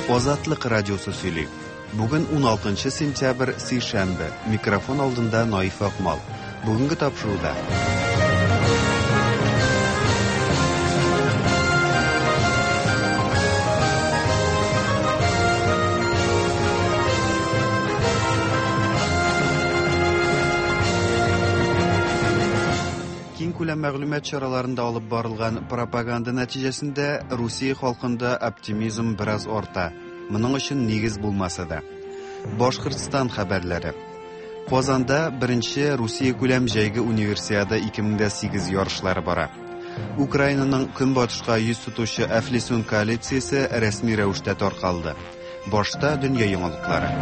Азатлык радиосы сөйли. Бүген 16 сентябрь, сишәмбе. Микрофон алдында Наиф Акмал. Бүгенге тапшыруда. Киңкүләм мәгълүмат чараларында алып барылган пропаганда нәтиҗәсендә Русия халкында оптимизм бераз арта. Моның өчен нигез булмаса да. Башкортстан хәбәрләре. Казанда беренче Русия күләм җәйге универсиада 2008 ярышлары бара. Украинаның көнбатышка йөз тотучы Әфлисун коалициясе рәсми рәвештә таркалды. Башта дөнья яңалыклары.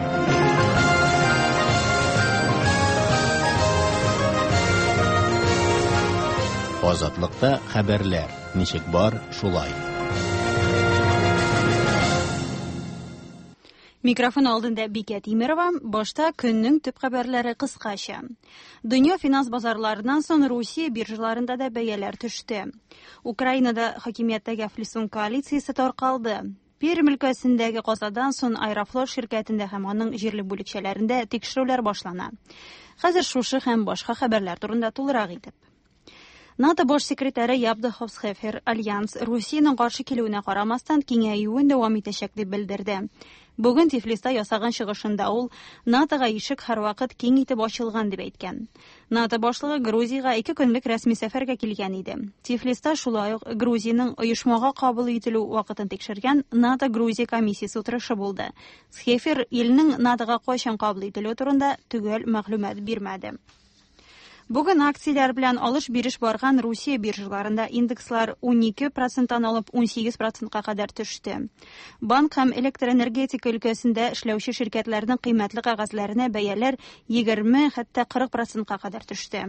Азатлыкта хәбәрләр ничек бар, шулай. Микрофон алдында Бикә Тимерова. Башта көннең төп хәбәрләре кыскача. Дөнья финанс базарларыннан соң Русия биржаларында да бәяләр төште. Украинада хакимияттәге Әфлисун коалициясе таркалды. Пермь өлкәсендәге казадан соң Аэрофлот ширкәтендә һәм аның җирле бүлекчәләрендә тикшерүләр башлана. Хәзер шушы һәм башка хәбәрләр турында тулырак итеп. НАТО баш секретаре Ябда Ховсхефер Альянс Русиянең каршы килүенә карамастан киңәюен дәвам итәчәк дип белдерде. Бүген Тифлиста ясаган чыгышында ул НАТОга ишек һәрвакыт киң итеп ачылган дип әйткән. НАТО башлыгы Грузиягә ике көнлек рәсми сәфәргә килгән иде. Тифлиста шулай ук Грузиянең оешмага кабул ителү вакытын тикшергән НАТО-Грузия комиссиясе утырышы булды. Схефер илнең НАТОга кайчан кабул ителүе турында төгәл мәгълүмат бирмәде. Бүген акцияләр белән алыш-биреш барган Русия биржаларында индекслар 12 проценттан алып 18 процентка кадәр төште. Банк һәм электроэнергетика өлкәсендә эшләүче ширкәтләрнең кыйммәтле кәгазьләренә бәяләр 20, хәтта 40 процентка кадәр төште.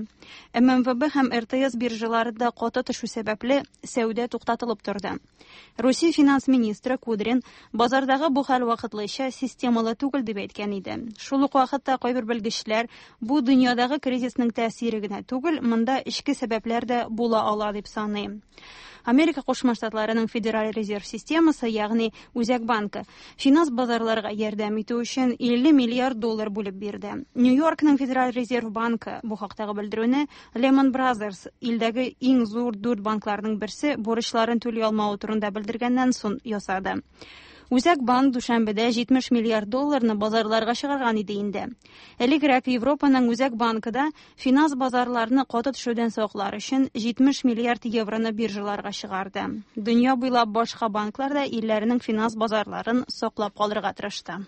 ММВБ һәм РТС биржаларында каты төшү сәбәпле, сәүдә туктатылып торды. Русия финанс министры Кудрин базардагы бу хәл вакытлыча, системалы түгел дип әйткән иде. Шул ук вакытта кайбер белгечләр бу дөньядагы кризисның тәэсире генә түгел, монда эчке сәбәпләр дә була ала дип саный. Америка Кушма Штатларының Федераль резерв системасы, ягъни Үзәк банкы, финанс базарларга ярдәм итү өчен 50 миллиард доллар бүлеп бирде. Нью-Йоркның Федераль резерв банкы бу хактагы белдерүне Lehman Brothers, илдәге иң зур дүрт банкларның берсе, бурычларын түли алмавы турында белдергәннән соң ясады. Үзәк банк дүшәмбедә 70 миллиард долларны базарларга чыгарган иде инде. Элегрәк Европаның Үзәк банкы да финанс базарларны каты төшүдән саклар өчен 70 миллиард евроны биржаларга чыгарды. Дөнья буйлап башка банклар да илләренең финанс базарларын саклап калырга тырышты.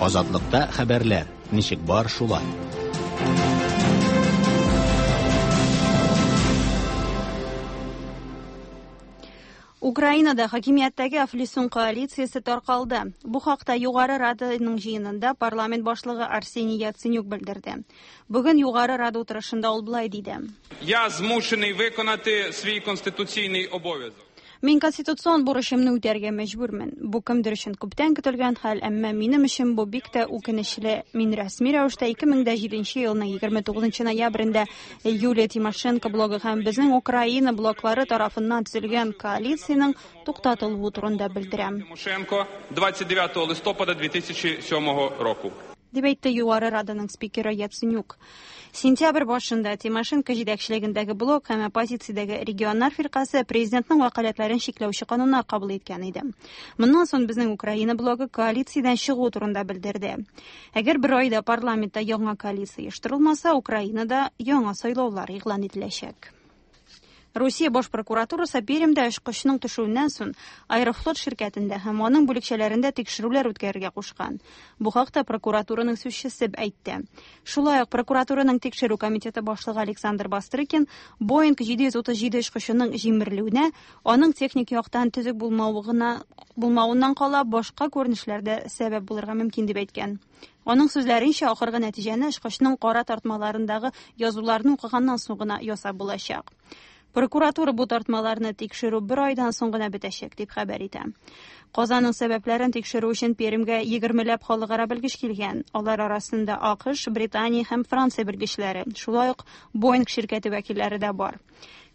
Азатлыкта хәбәрләр ничек бар, шулай. Украинада хакимияттәге Әфлисун коалициясе таркалды. Бу хакта Югары Раданың җыенында парламент башлыгы Арсений Яценюк белдерде. Бүген Югары Рада утырышында ул болай диде. Я змушений виконати свій конституційний обов'язок. Мин конституцион бурычымны үтәргә мәҗбүрмен. Бу кемдер өчен күптән көтелгән хәл, әмма минем өчен бу бик тә үкенечле. Мин рәсми рәвештә 2007 елның 29 ноябрендә Юлия Тимошенко блогы һәм Безнең Украина блоклары тарафыннан төзелгән коалициянең туктатылуы турында белдерәм. Тимошенко 29 листопада 2007 року. Дип әйтте Югары Раданың спикеры Яценюк. Сентябрь башында Тимошенко җитәкчелегендәге блок һәм оппозициядәге регионнар фиркасе президентның вәкаләтләрен чикләүче кануннар кабул иткән иде. Моннан соң Безнең Украина блогы коалициядән чыгу турында белдерде. Әгәр бер айда парламентта яңа коалиция оештырылмаса, Украинада яңа сайлаулар игълан ителәчәк. Русия баш прокуратурасы Пермьдә очкычның төшүеннән соң Аэрофлот ширкәтендә һәм аның бүлекчәләрендә тикшерүләр үткәрергә кушкан. Бу хакта прокуратураның сүзчесе әйтте. Шулай ук прокуратураның тикшерү комитеты башлыгы Александр Бастрыкин Боинг 737 очкычының җимерелүенә аның техник яктан төзек булмавы гына булмавыннан кала башка күренешләр дә сәбәп булырга мөмкин дип әйткән. Аның сүзләренчә, ахыргы нәтиҗәне очкычның кара тартмаларындагы язуларны укыганнан соң гына ясап булачак. Прокуратура бу тартмаларны тикшерү бер айдан соң гына бетәчәк дип хәбәр итә. Казаның сәбәпләрен тикшерү өчен Пермьгә 20ләп халыкара белгеч килгән. Алар арасында АКШ, Британия һәм Франция белгечләре, шулай ук Боинг ширкәте вәкилләре дә бар.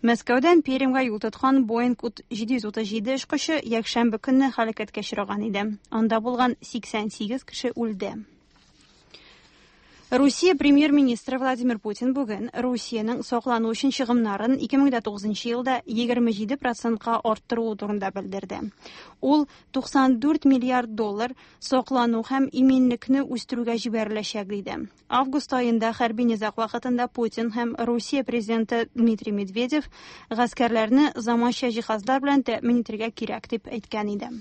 Мәскәүдән Пермьгә юл тоткан Боинг 737 очкычы якшәмбе көнне һәлакәткә очраган иде. Анда булган 88 кеше үлде. Русия премьер-министры Владимир Путин бүген Русиянең саклану өчен чыгымнарын 2009 елда 27 процентка арттыруы турында белдерде. Ул 94 миллиард доллар саклану һәм иминлекне үстерүгә җибәреләчәк, диде. Август аенда хәрби низаг вакытында Путин һәм Русия президенты Дмитрий Медведев гаскәрләрне заманча җиһазлар белән тәэмин итәргә кирәк дип әйткән иде.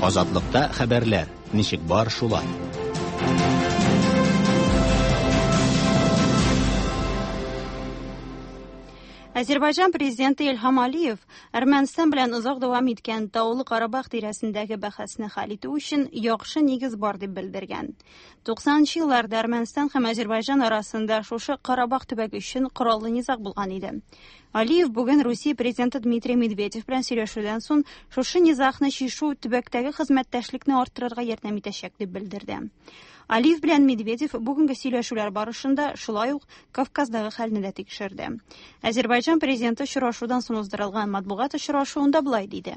Азатлыкта хәбәрләр, ничек бар шулай. Азербайҗан президенты Илһам Алиев Әрмәнстан белән озак дәвам иткән Таулы Карабах тирәсендәге бәхәсне хәл итү өчен яхшы нигез бар дип белдергән. 90 елларда Әрмәнстан һәм Азербайҗан арасында шушы Карабах төбәге өчен кораллы низаг булган иде. Алиев бүген Русия президенты Дмитрий Медведев белән сөйләшүдән соң шушы низагны чишү төбәктәге хезмәттәшлекне арттырырга ярдәм итәчәк дип белдерде. Алиев белән Медведев бүгенге сөйләшүләр барышында шулай ук Кавказдагы хәлне дә тикшерде. Азербайҗан президенты очрашудан соң уздырылган матбугат очрашуында болай диде.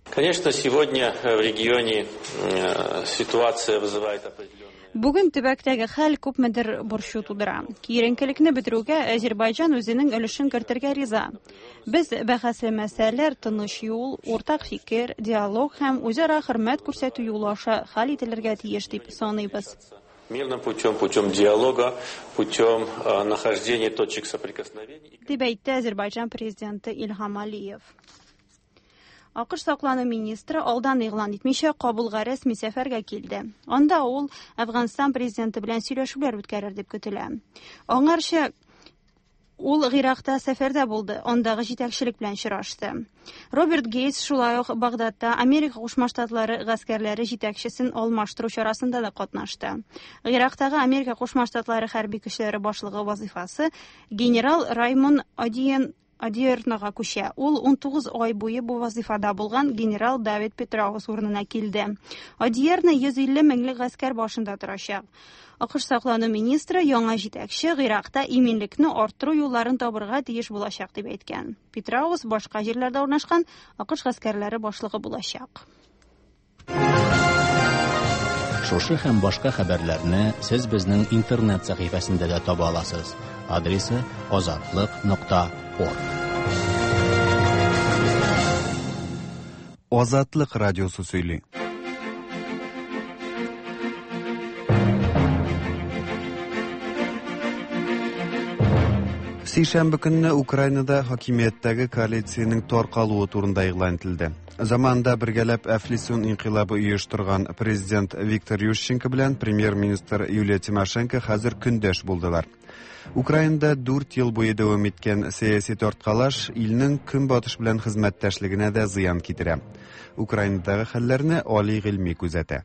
Конечно, сегодня в регионе ситуация вызывает определенные... Бүген төбәктәге хәл күпмедер борчу тудыра. Киеренкелекне бетерүгә Азербайҗан үзенең өлешен кертергә риза. Без бәхәсле мәсьәләләр тыныч юл, уртак фикер, диалог һәм үзара хөрмәт күрсәтү юлы аша хәл ителергә тиеш дип саныйбыз. Мирным путем, путем диалога, путем нахождения точек соприкосновения. Дип әйтте Азербайҗан президенты Илһам Алиев. АКШ саклану министры алдан игълан итмичә Кабулга рәсми сәфәргә килде. Анда ул Әфганстан президенты белән сөйләшүләр үткәрер дип көтелә. Аңарчы ул Гыйракта сәфәрдә булды, андагы җитәкчелек белән очрашты. Роберт Гейтс шулай ук Багдадта Америка Кушма Штатлары гаскәрләре җитәкчесен алмаштыру чарасында да катнашты. Гыйрактагы Америка Кушма Штатлары хәрби көчләре башлыгы вазифасы генерал Раймон Одиернога күчә. Ул 19 ай буе бу вазифада булган генерал Давид Петраус урынына килде. Одиерно 150 меңлек гаскәр башында торачак. АКШ саклану министры яңа җитәкче Гыйракта иминлекне арттыру юлларын табырга тиеш булачак дип әйткән. Петраус башка җирләрдә урнашкан АКШ гаскәрләре башлыгы булачак. Шушы һәм башка хәбәрләрне сез безнең интернет сәхифәсендә дә таба аласыз. Адресы azatliq.org. Азатлык радиосы сөйли. Сишәмбе көнне Украинада хакимияттәге коалициянең таркалуы турында игълан ителде. Заманында бергәләп Әфлисун инкыйлабы оештырган президент Виктор Ющенко белән премьер-министр Юлия Тимошенко хәзер көндәш булдылар. Украинада 4 ел буе дәвам иткән сәяси тарткалаш илнең көнбатыш белән хезмәттәшлегенә дә зыян китерә. Украинадагы хәлләрне Али Гыйльми күзәтә.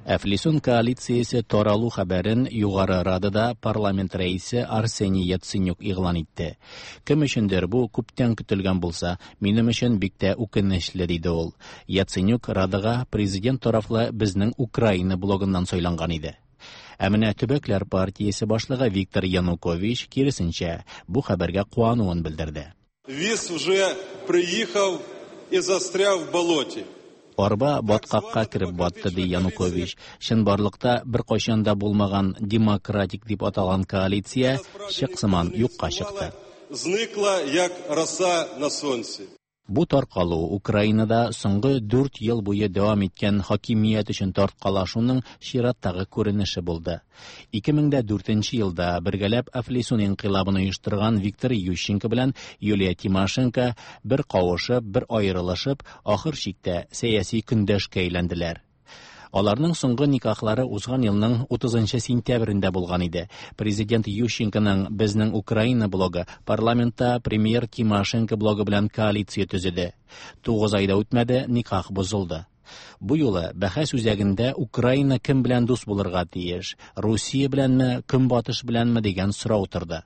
Әфлисун коалициясе таралу хәбәрен Югары Радада парламент рәисе Арсений Яценюк игълан итте. Кем өчендер бу күптән көтелгән булса, минем өчен бик тә үкенечле, диде ул. Яценюк Радага президент тарафлы безнең Украина блогыннан сайланган иде. Ә менә Төбәкләр партиясе башлыгы Виктор Янукович киресенчә бу хәбәргә куануын белдерде. Віз уже приїхав і застряв в болоті. Арба баткакка кереп батты, ди Янукович. Чынбарлыкта бер кайчан да булмаган демократик дип аталган коалиция чык сыман юкка чыкты. Зникла як роса на сонці. Бу таркалу Украинада соңгы 4 ел буе дәвам иткән хакимият өчен тарткалашуның чираттагы күренеше булды. 2004 елда бергәләп Әфлисун инкыйлабын оештырган Виктор Ющенко белән Юлия Тимошенко бер кавышып, бер аерылышып, ахыр чиктә сәяси көндәшкә әйләнделәр. Аларның соңгы никахлары узган елның 30 сентябрендә булган иде. Президент Ющенконың Безнең Украина блогы парламентта премьер Тимошенко блогы белән коалиция төзеде. 9 ай да үтмәде, никах бозылды. Бу юлы бәхәс үзәгендә Украина кем белән дус булырга тиеш, Русия беләнме, Көнбатыш беләнме дигән сорау торды.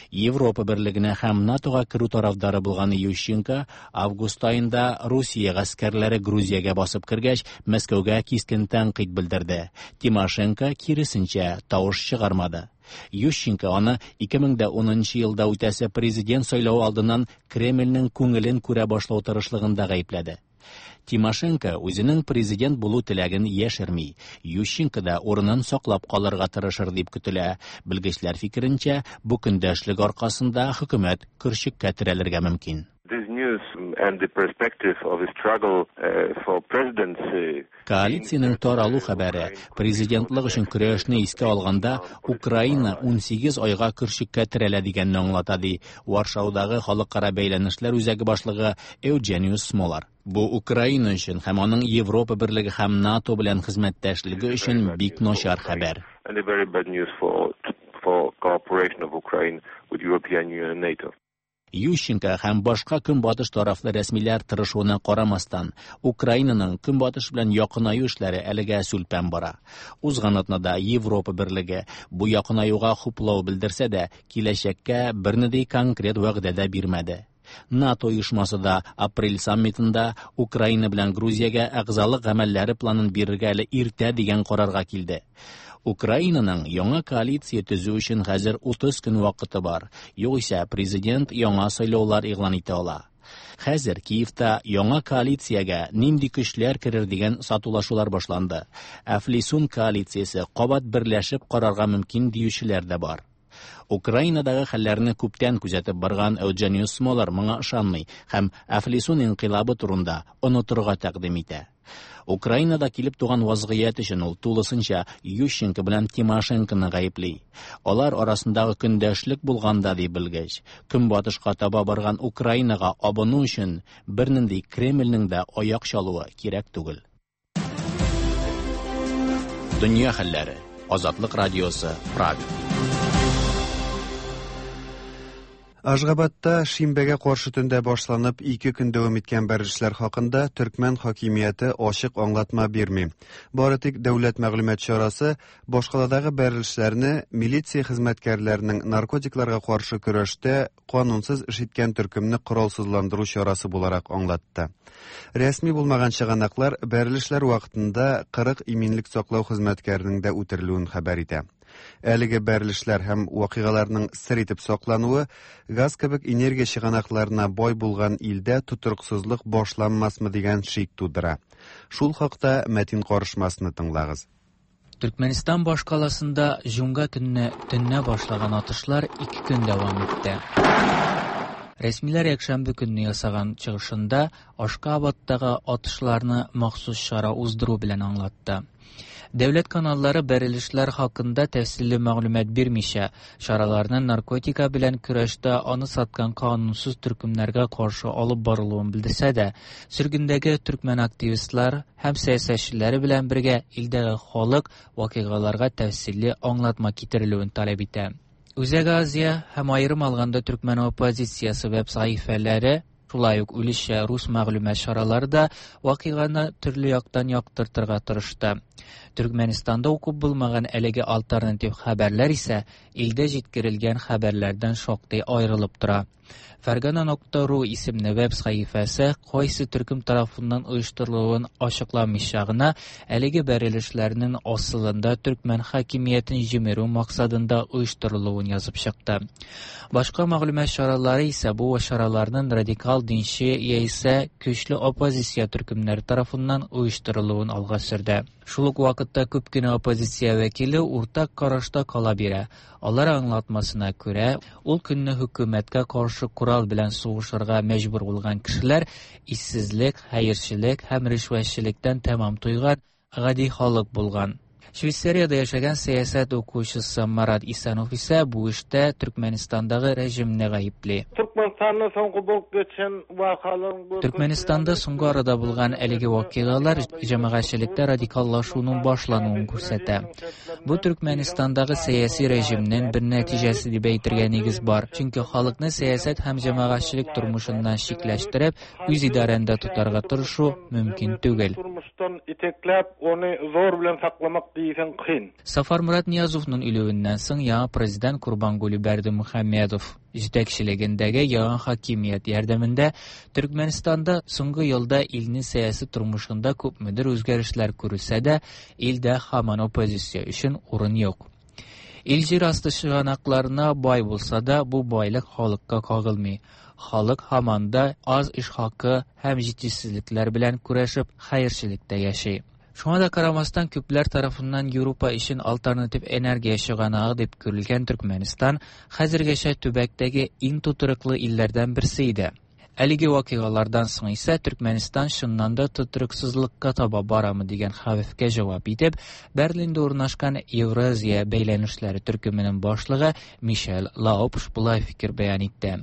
Европа берлегенә һәм НАТОга керү тарафдары булган Ющенко август аенда Русия гаскәрләре Грузиягә басып кергәч, Мәскәүгә кискен тәнкыйть белдерде. Тимошенко киресенчә тавыш чыгармады. Ющенко аны 2010 елда үтәсе президент сайлавы алдыннан Кремльнең күңелен күрә башлау тырышлыгында гаепләде. Тимошенко үзенең президент булу теләген яшерми. Ющенко да урынын саклап калырга тырышыр дип көтелә. Белгечләр фикеренчә, бу көндәшлек аркасында хөкүмәт көрчеккә терәлергә мөмкин. This news and the perspective of a struggle for presidency. Коалициянең таралу хәбәре президентлык өчен көрәшне искә алганда, Украина 18 айга көрчеккә терәлә дигәнне аңлата, ди Варшаудагы халыкара бәйләнешләр үзәге башлыгы Эуджениус Смолар. Бу Украина өчен һәм аның Европа берлеге һәм НАТО белән хезмәттәшлеге өчен бик начар хәбәр. And a very bad news for cooperation of Ukraine with European Union and NATO. Ющенко һәм башка көнбатыш тарафлы рәсмиләр тырышуына карамастан, Украинаның көнбатыш белән якынаю эшләре әлегә сүлпән бара. Узган атнада Европа берлеге бу якынаюга хуплау белдерсә дә, киләчәккә бернинди конкрет вәгъдә дә бирмәде. НАТО оешмасы да апрель саммитында Украина белән Грузиягә әгъзалык гамәлләре планын бирергә әле иртә дигән карарга килде. Украинаның яңа коалиция төзү өчен хәзер 30 көн вакыты бар. Югыйсә президент яңа сайлаулар игълан итә ала. Хәзер Киевта яңа коалициягә нинди көчләр керер дигән сатулашулар башланды. Әфлисун коалициясе кабат берләшеп карарга мөмкин диючеләр дә бар. Украинадагы хәлләрне күптән күзәтеп барган Эуджениус Смолар моңа ышанмый һәм Әфлисун инкыйлабы турында онытырга тәкъдим итә. Украинада килеп туган вазгыять өчен ул тулысынча Ющенко белән Тимошенконы гаепли. Алар арасындагы көндәшлек булганда, ди белгеч, көнбатышка таба барган Украинага абыну өчен бернинди Кремльнең дә аяк чалуы кирәк түгел. Дөнья хәлләре. Азатлык радиосы, Прага. Ашгабадта шимбәгә каршы төндә башланып 2 көн дәвам иткән бәрелешләр хакында төркмән хакимияте ачык аңлатма бирми. Бары тик дәүләт мәгълүмат чарасы башкаладагы бәрелешләрне милиция хезмәткәрләренең наркотикларга каршы көрәштә канунсыз эш иткән төркемне коралсызландыру чарасы буларак аңлатты. Рәсми булмаган чыганаклар бәрелешләр вакытында 40 иминлек саклау хезмәткәренең дә үтерелүен хәбәр итә. Әлеге бәрелешләр һәм вакыйгаларның сер итеп саклануы газ кебек энергия чыганакларына бай булган илдә тотрыксызлык башланмасмы дигән шик тудыра. Шул хакта Мәтин карышмасны тыңлагыз. Төркмәнстан башкаласында җомга көнне төннә башлаган атышлар 2 көн дәвам итте. Рәсмиләр якшәмбе көнне ясаган чыгышында Ашкабадтагы атышларны махсус чара уздыру белән аңлатты. Дәүләт каналлары бәрелешләр хакында тәфсилле мәгълүмат бирмичә, чараларны наркотика белән көрәштә аны саткан канунсыз төркемнәргә каршы алып барылуын белдерсә дә, сөргендәге төркмән активистлар һәм сәясәтчеләре белән бергә илдәге халык вакыйгаларга тәфсилле аңлатма китерелүен таләп итә. Үзәк Азия һәм аерым алганда төркмән оппозициясе веб сәхифәләре, шулай ук өлешчә рус мәгълүмат чаралары да вакыйганы төрле яктан яктыртырга тырышты. Төркмәнстанда укып булмаган әлеге альтернатив хәбәрләр исә илдә җиткерелгән хәбәрләрдән шактый аерылып тора. Фәргана.ру исемле веб сәхифәсе кайсы төркем тарафыннан оештырылуын ачыкламыйча гына әлеге бәрелешләрнең асылында төркмән хакимиятен җимерү максатында оештырылуын язып чыкты. Башка мәгълүмат чаралары исә бу чараларның радикал динче яисә көчле оппозиция төркемнәре тарафыннан оештырылуын алга сөрде. Шул ук вакытта күп кенә оппозиция вәкиле уртак карашта кала бирә. Алар аңлатмасына күрә, ул көнне хөкүмәткә каршы корал белән сугышырга мәҗбүр булган кешеләр иссезлек, хәерчелек һәм ришвәтчелектән тәмам туйган гади халык булган. Швейцариядә яшәгән сәясәт укучысы Марат Исанов исә бу эштә Төркмәнстандагы режимны гаепли. Төркмәнстанда соңгы булып geçen вакыйгалар Төркмәнстанда соңгы арада булган әлеге вакыйгалар җәмәгатьчелектә радикаллашуның башлануын күрсәтә. Бу Төркмәнстандагы сәяси режимнең бер нәтиҗәсе дип әйтергә нигез бар. Чөнки халыкны сәясәт һәм җәмәгатьчелек тормышыннан чикләштереп, үз идарәндә тотарга тырышу мөмкин түгел. Тормыштан итәкләп, аны зор белән сакламак дисәң кыен. Сафар Мурат Ниязовның үлүеннән соң яңа президент Курбангулы Бердымухамедов җитәкчелегендәге яңа хакимият ярдәмендә Төркмәнстанда соңгы елда илнең сәяси тормышында күпмедер үзгәрешләр күрелсә дә, илдә һаман оппозиция өчен урын юк. Ил җир асты чыганакларына бай булса да, бу байлык халыкка кагылмый. Халык һаман да аз эш хакы һәм җитешсезлекләр белән көрәшеп, хәерчелектә яши. Шуңа да карамастан, күпләр тарафыннан Европа өчен альтернатив энергия чыганагы дип күрелгән Төркмәнстан хәзергәчә төбәктәге иң тотрыклы илләрдән берсе иде. Әлеге вакыйгалардан соң исә Төркмәнстан чыннан да тотрыксызлыкка таба барамы дигән хәвефкә җавап итеп, Берлинда урнашкан Евразия бәйләнешләре төркеменең башлыгы Мишель Лаупш болай фикер бәян итте.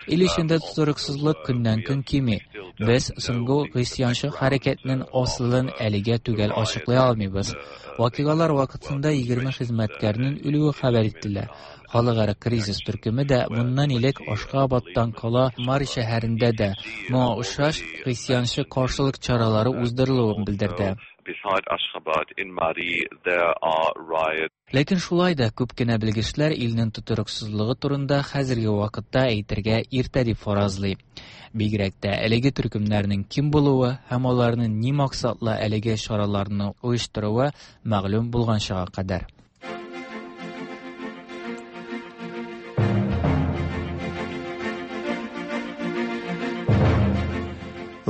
Ил эчендә тотрыксызлык көннән-көн кими. Без соңгы гыйсъянчы хәрәкәтнең асылын әлегә төгәл ачыклый алмыйбыз. Вакыйгалар вакытында 20 хезмәткәрнең үлүе хәбәр ителә. Халыкара кризис төркеме дә моннан элек Ашхабадтан кала Мари шәһәрендә дә моңа охшаш гыйсъянчы каршылык чаралары уздырылуын белдерде. Beside Ashgabat, in Mari, there are riots. Ләкин шулай да күп кенә белгечләр илнең тотрыксызлыгы турында хәзерге вакытта әйтергә иртә дип фаразлый. Бигрәк тә әлеге төркемнәрнең кем булуы һәм аларның ни максатлы әлеге чараларны оештыруы мәгълүм булганчыга кадәр.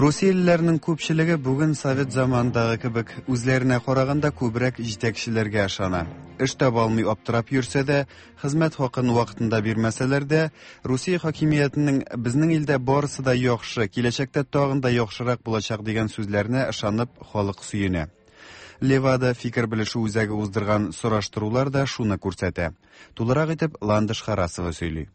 Русиялеләрнең күпчелеге бүген совет заманындагы кебек үзләренә караганда күбрәк җитәкчеләргә ышана. Эш таба алмый аптырап йөрсә дә, хезмәт хакын вакытында бирмәсәләр дә, Русия хакимиятенең безнең илдә барысы да яхшы, киләчәктә тагын да яхшырак булачак дигән сүзләренә ышанып, халык сөенә. Левада фикер белешү үзәге уздырган сораштырулар да шуны күрсәтә. Тулырак итеп Ландыш Харасова сөйли.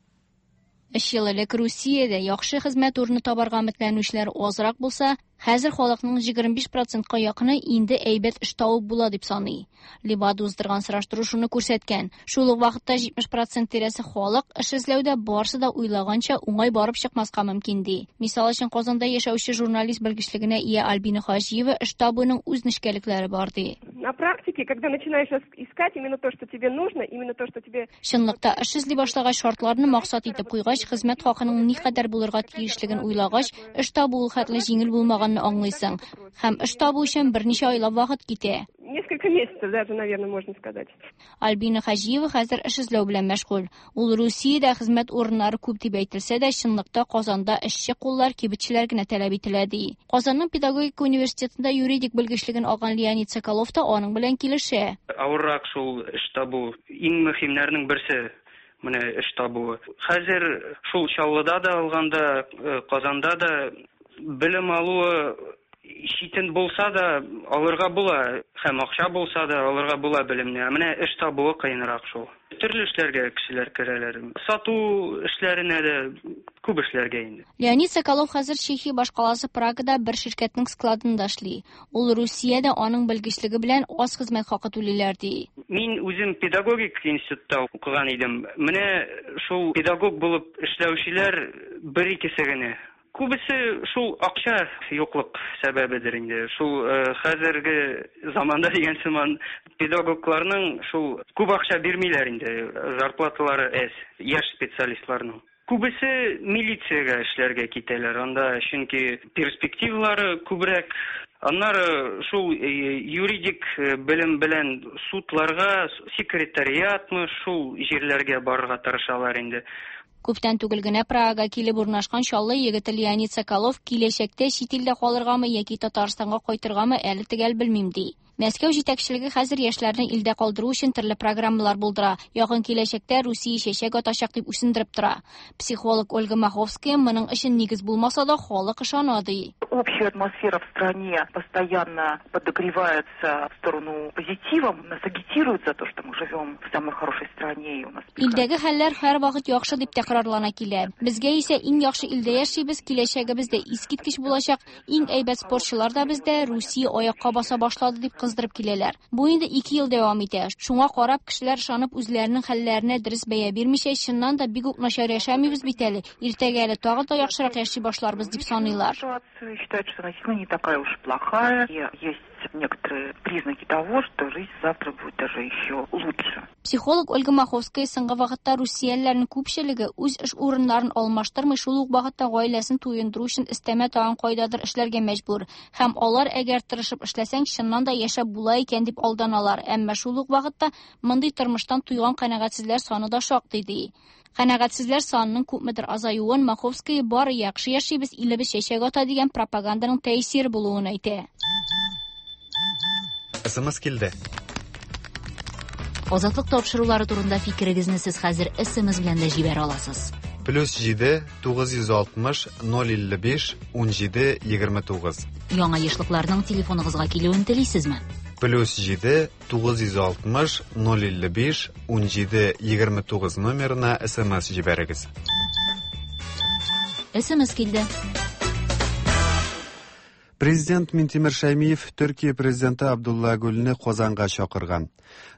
Өч ел элек Русиядә яхшы хезмәт урыны табарга өметләнүчеләр азрак булса, хәзер халыкның 25 процентка якыны инде әйбәт эш табып була дип саный. Левада уздырган сораштыру шуны күрсәткән. Шул ук вакытта 70 процент тирәсе халык эш эзләүдә барысы да уйлаганча уңай барып чыкмаска мөмкин ди. Мисал өчен, Казанда яшәүче журналист белгечлегенә ия Альбина Хаҗиева эш табуның үз нечкәлекләре бар ди. На практике, когда начинаешь искать именно то, что тебе нужно, именно то, что тебе... Чынлыкта эш эзли башлагач, шартларны максат итеп куйгач, хезмәт хакының никадәр булырга тиешлеген уйлагач, эш табу ул хәтле җиңел булмаганны аңлыйсың. Һәм эш табу өчен берничә айлап вакыт китә. Несколько месяцев даже, наверное, можно сказать. Альбина Хаҗиева хәзер эш эзләү белән мәшгуль. Ул Русиядә хезмәт урыннары күп дип әйтелсә дә, чынлыкта Казанда эшче куллар, кибетчеләр генә таләп ителә ди. Казанның педагогика университетында юридик белгечлеген алган Леонид Соколов та аның белән килешә. Авыррак шул эш табу. Иң мөһимнәрнең берсе менә эш табуы. Хәзер шул Чаллыда да алганда, Казанда да белем алуы читен булса да алырга була, һәм акча булса да алырга була белемне. Ә менә эш табуы кыенрак шул. Төрле эшләргә кешеләр керәләр. Сату эшләренә дә, күп эшләргә инде. Леонид Соколов хәзер Чехия башкаласы Прагада бер ширкәтнең складында эшли. Ул Русиядә аның белгечлеге белән аз хезмәт хакы түлиләр ди. Мин үзем педагогик институтта укыган идем. Менә шул педагог булып эшләүчеләр бер икесе генә. Күбесе шул акча юклык сәбәбедер инде. Шул хәзерге заманда дигән сыман педагогларның шул күп акча бирмиләр инде, зарплаталары әз, яшь специалистларның. Күбесе милициягә эшләргә китәләр, анда чөнки перспективалары күбрәк. Аннары шул юридик белем белән судларга, секретариатмы, шул җирләргә барырга тырышалар инде. Күптән түгел генә Прагага килеп урнашкан Чаллы егете Леонид Соколов киләчәктә чит илдә калыргамы яки Татарстанга кайтыргамы әле төгәл белмим ди. Мәскәү җитәкчелеге хәзер яшьләрне илдә калдыру өчен төрле программалар булдыра. Якын киләчәктә Русия чәчәк атачак дип үсендереп тора. Психолог Ольга Маховская моның өчен нигез булмаса да халык ышана ди. Общая атмосфера в стране постоянно подогревается в сторону позитива, нас агитируют за то, что мы живем в самой хорошей стране и у нас. Илдәге хәлләр һәрвакыт яхшы дип тәкрарлана килә. Безгә исә иң яхшы илдә яшибез, киләчәгебез дә искиткеч булачак, иң әйбәт спортчылар да бездә, Русия аякка баса башлады дип кыздырып киләләр. Бу инде 2 ел дәвам итә. Шуңа карап кешеләр ышанып үзләренең хәлләренә дөрес бәя бирмичә, чыннан да бик үк начар яшәмибез бит әле. Иртәгә әле тагын да яхшырак яши башларбыз дип саныйлар. Считают, что она не такая уж плохая. И есть некоторые признаки того, что жизнь завтра будет даже еще лучше. Психолог Ольга Маховская соңгы вакытта русиялеләрнең күпчелеге үз эш урыннарын алмаштырмый, шул ук вакытта гаиләсен туендыру өчен өстәмә тагын кайдадыр эшләргә мәҗбүр. Һәм алар, әгәр тырышып эшләсәң, чыннан да яшәп була икән дип алданалар. Әмма шул ук вакытта мондый тормыштан туйган канәгатьсезләр саны да шактый ди. Канәгатьсезләр санының күпмедер азаюын Маховская бары яхшы яшибез, илебез чәчәк ата дигән пропаганданың тәэсире булуын әйтә. СМС килде. Азатлык тапшырулары турында фикерегезне сез хәзер СМС белән дә җибәрә аласыз. Плюс 7 960 055 17 29. Яңа ешлыкларның телефоныгызга килүен телисезме? Плюс 7 960 055 17 29 номерына СМС җибәрегез. СМС килде. Президент Минтимер Шәймиев Төркия президенты Абдулла Гүлне Казанга чакырган.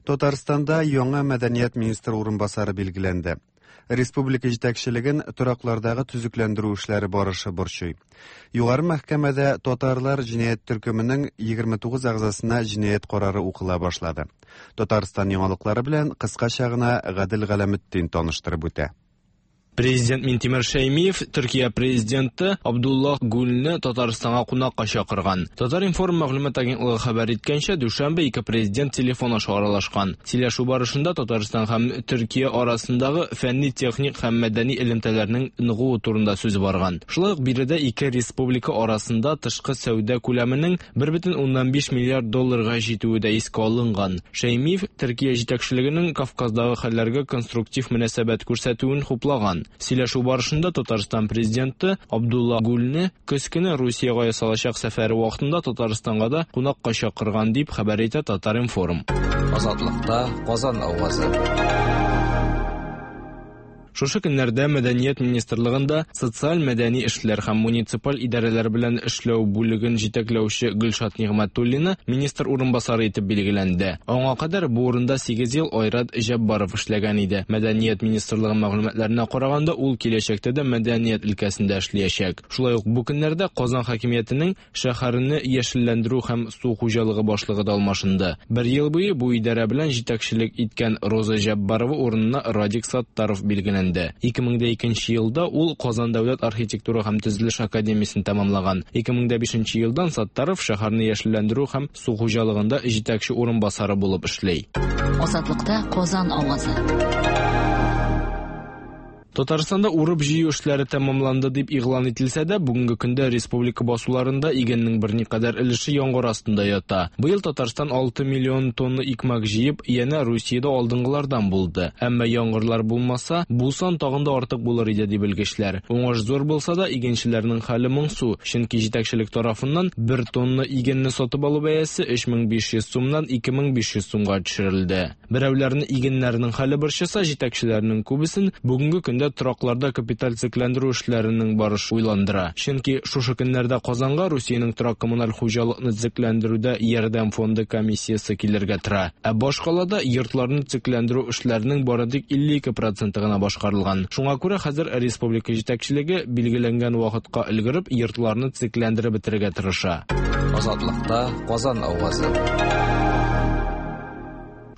Татарстанда яңа мәдәният министры урынбасары билгеләнде. Республика җитәкчелеген тораклардагы төзекләндерү эшләре барышы борчый. Югары мәхкәмәдә татарлар җинаять төркеменең 29 әгъзасына җинаять карары укыла башлады. Татарстан яңалыклары белән кыскача гына Гадел Галәметдин таныштырып үтә. Президент Минтимер Шәймиев Төркия президенты Абдулла Гүлне Татарстанга кунакка чакырган. Татар-информ мәгълүмат агентлыгы хәбәр иткәнчә, дүшәмбе ике президент телефон аша аралашкан. Сөйләшү барышында Татарстан һәм Төркия арасындагы фәнни, техник һәм мәдәни элемтәләрнең ныгуы турында сүз барган. Шулай ук биредә ике республика арасында тышкы сәүдә күләменең 1,5 миллиард долларга җитүе дә искә алынган. Шәймиев Төркия җитәкчелегенең Кавказдагы хәлләргә конструктив мөнәсәбәт күрсәтүен хуплаган. Сөйләшү барышында Татарстан президенты Абдулла Гүлне көз көне Русиягә ясалачак сәфәре вакытында Татарстанга да кунакка чакырган дип хәбәр итә Татар-информ. Азатлыкта Казан авазы. Шушы көннәрдә Мәдәният министрлыгында социаль мәдәни эшләр һәм муниципаль идарәләр белән эшләү бүлеген җитәкләүче Гөлшат Нигъмәтуллина министр урынбасары итеп билгеләнде. Аңа кадәр бу урында 8 ел Айрат Җәббаров эшләгән иде. Мәдәният министрлыгы мәгълүматларына караганда, ул киләчәктә дә мәдәният өлкәсендә эшләячәк. Шулай ук бу көннәрдә Казан хакимиятенең шәһәрне яшелләндерү һәм су хуҗалыгы башлыгы да алмашынды. Бер ел буе бу идарә белән җитәкчелек иткән Роза Җәббарова урынына Радик Саттаров билгеләнде. 2002 елда ул Казан дәүләт архитектура һәм төзелеш академиясен тәмамлаган. 2005 елдан Саттаров шәһәрне яшелләндерү һәм су хуҗалыгында җитәкче урынбасары булып эшли. Азатлыкта Казан авазы. Татарстанда урып-җыю эшләре тәмамланды дип игълан ителсә дә, бүгенге көндә республика басуларында игеннең берникадәр өлеше яңгыр астында ята. Быел Татарстан 6 миллион тонна икмәк җыеп, янә Русиядә алдынгылардан булды. Әмма яңгырлар булмаса, бу сан тагын да артык булыр иде ди белгечләр. Уңыш зур булса да, игенчеләрнең хәле моңсу, чөнки җитәкчелек тарафыннан бер тонна игенне сатып алу бәясе 3500 сумнан 2500 сумга төшерелде. Берәүләрне игеннәрнең хәле борчыса, җитәкчеләрнең күбесен бүгенге көндә торакларда капиталь төзекләндерү эшләренең барышы уйландыра. Чөнки шушы көннәрдә Казанга Русиянең торак коммуналь хуҗалыкны төзекләндерүдә ярдәм фонды комиссиясе килергә тора. Ә башкалада йортларны төзекләндерү эшләренең бары тик 52% гына башкарылган. Шуңа күрә хәзер республика җитәкчелеге билгеләнгән вакытка өлгереп йортларны төзекләндереп бетерергә тырыша. Азатлыкта Казан авазы.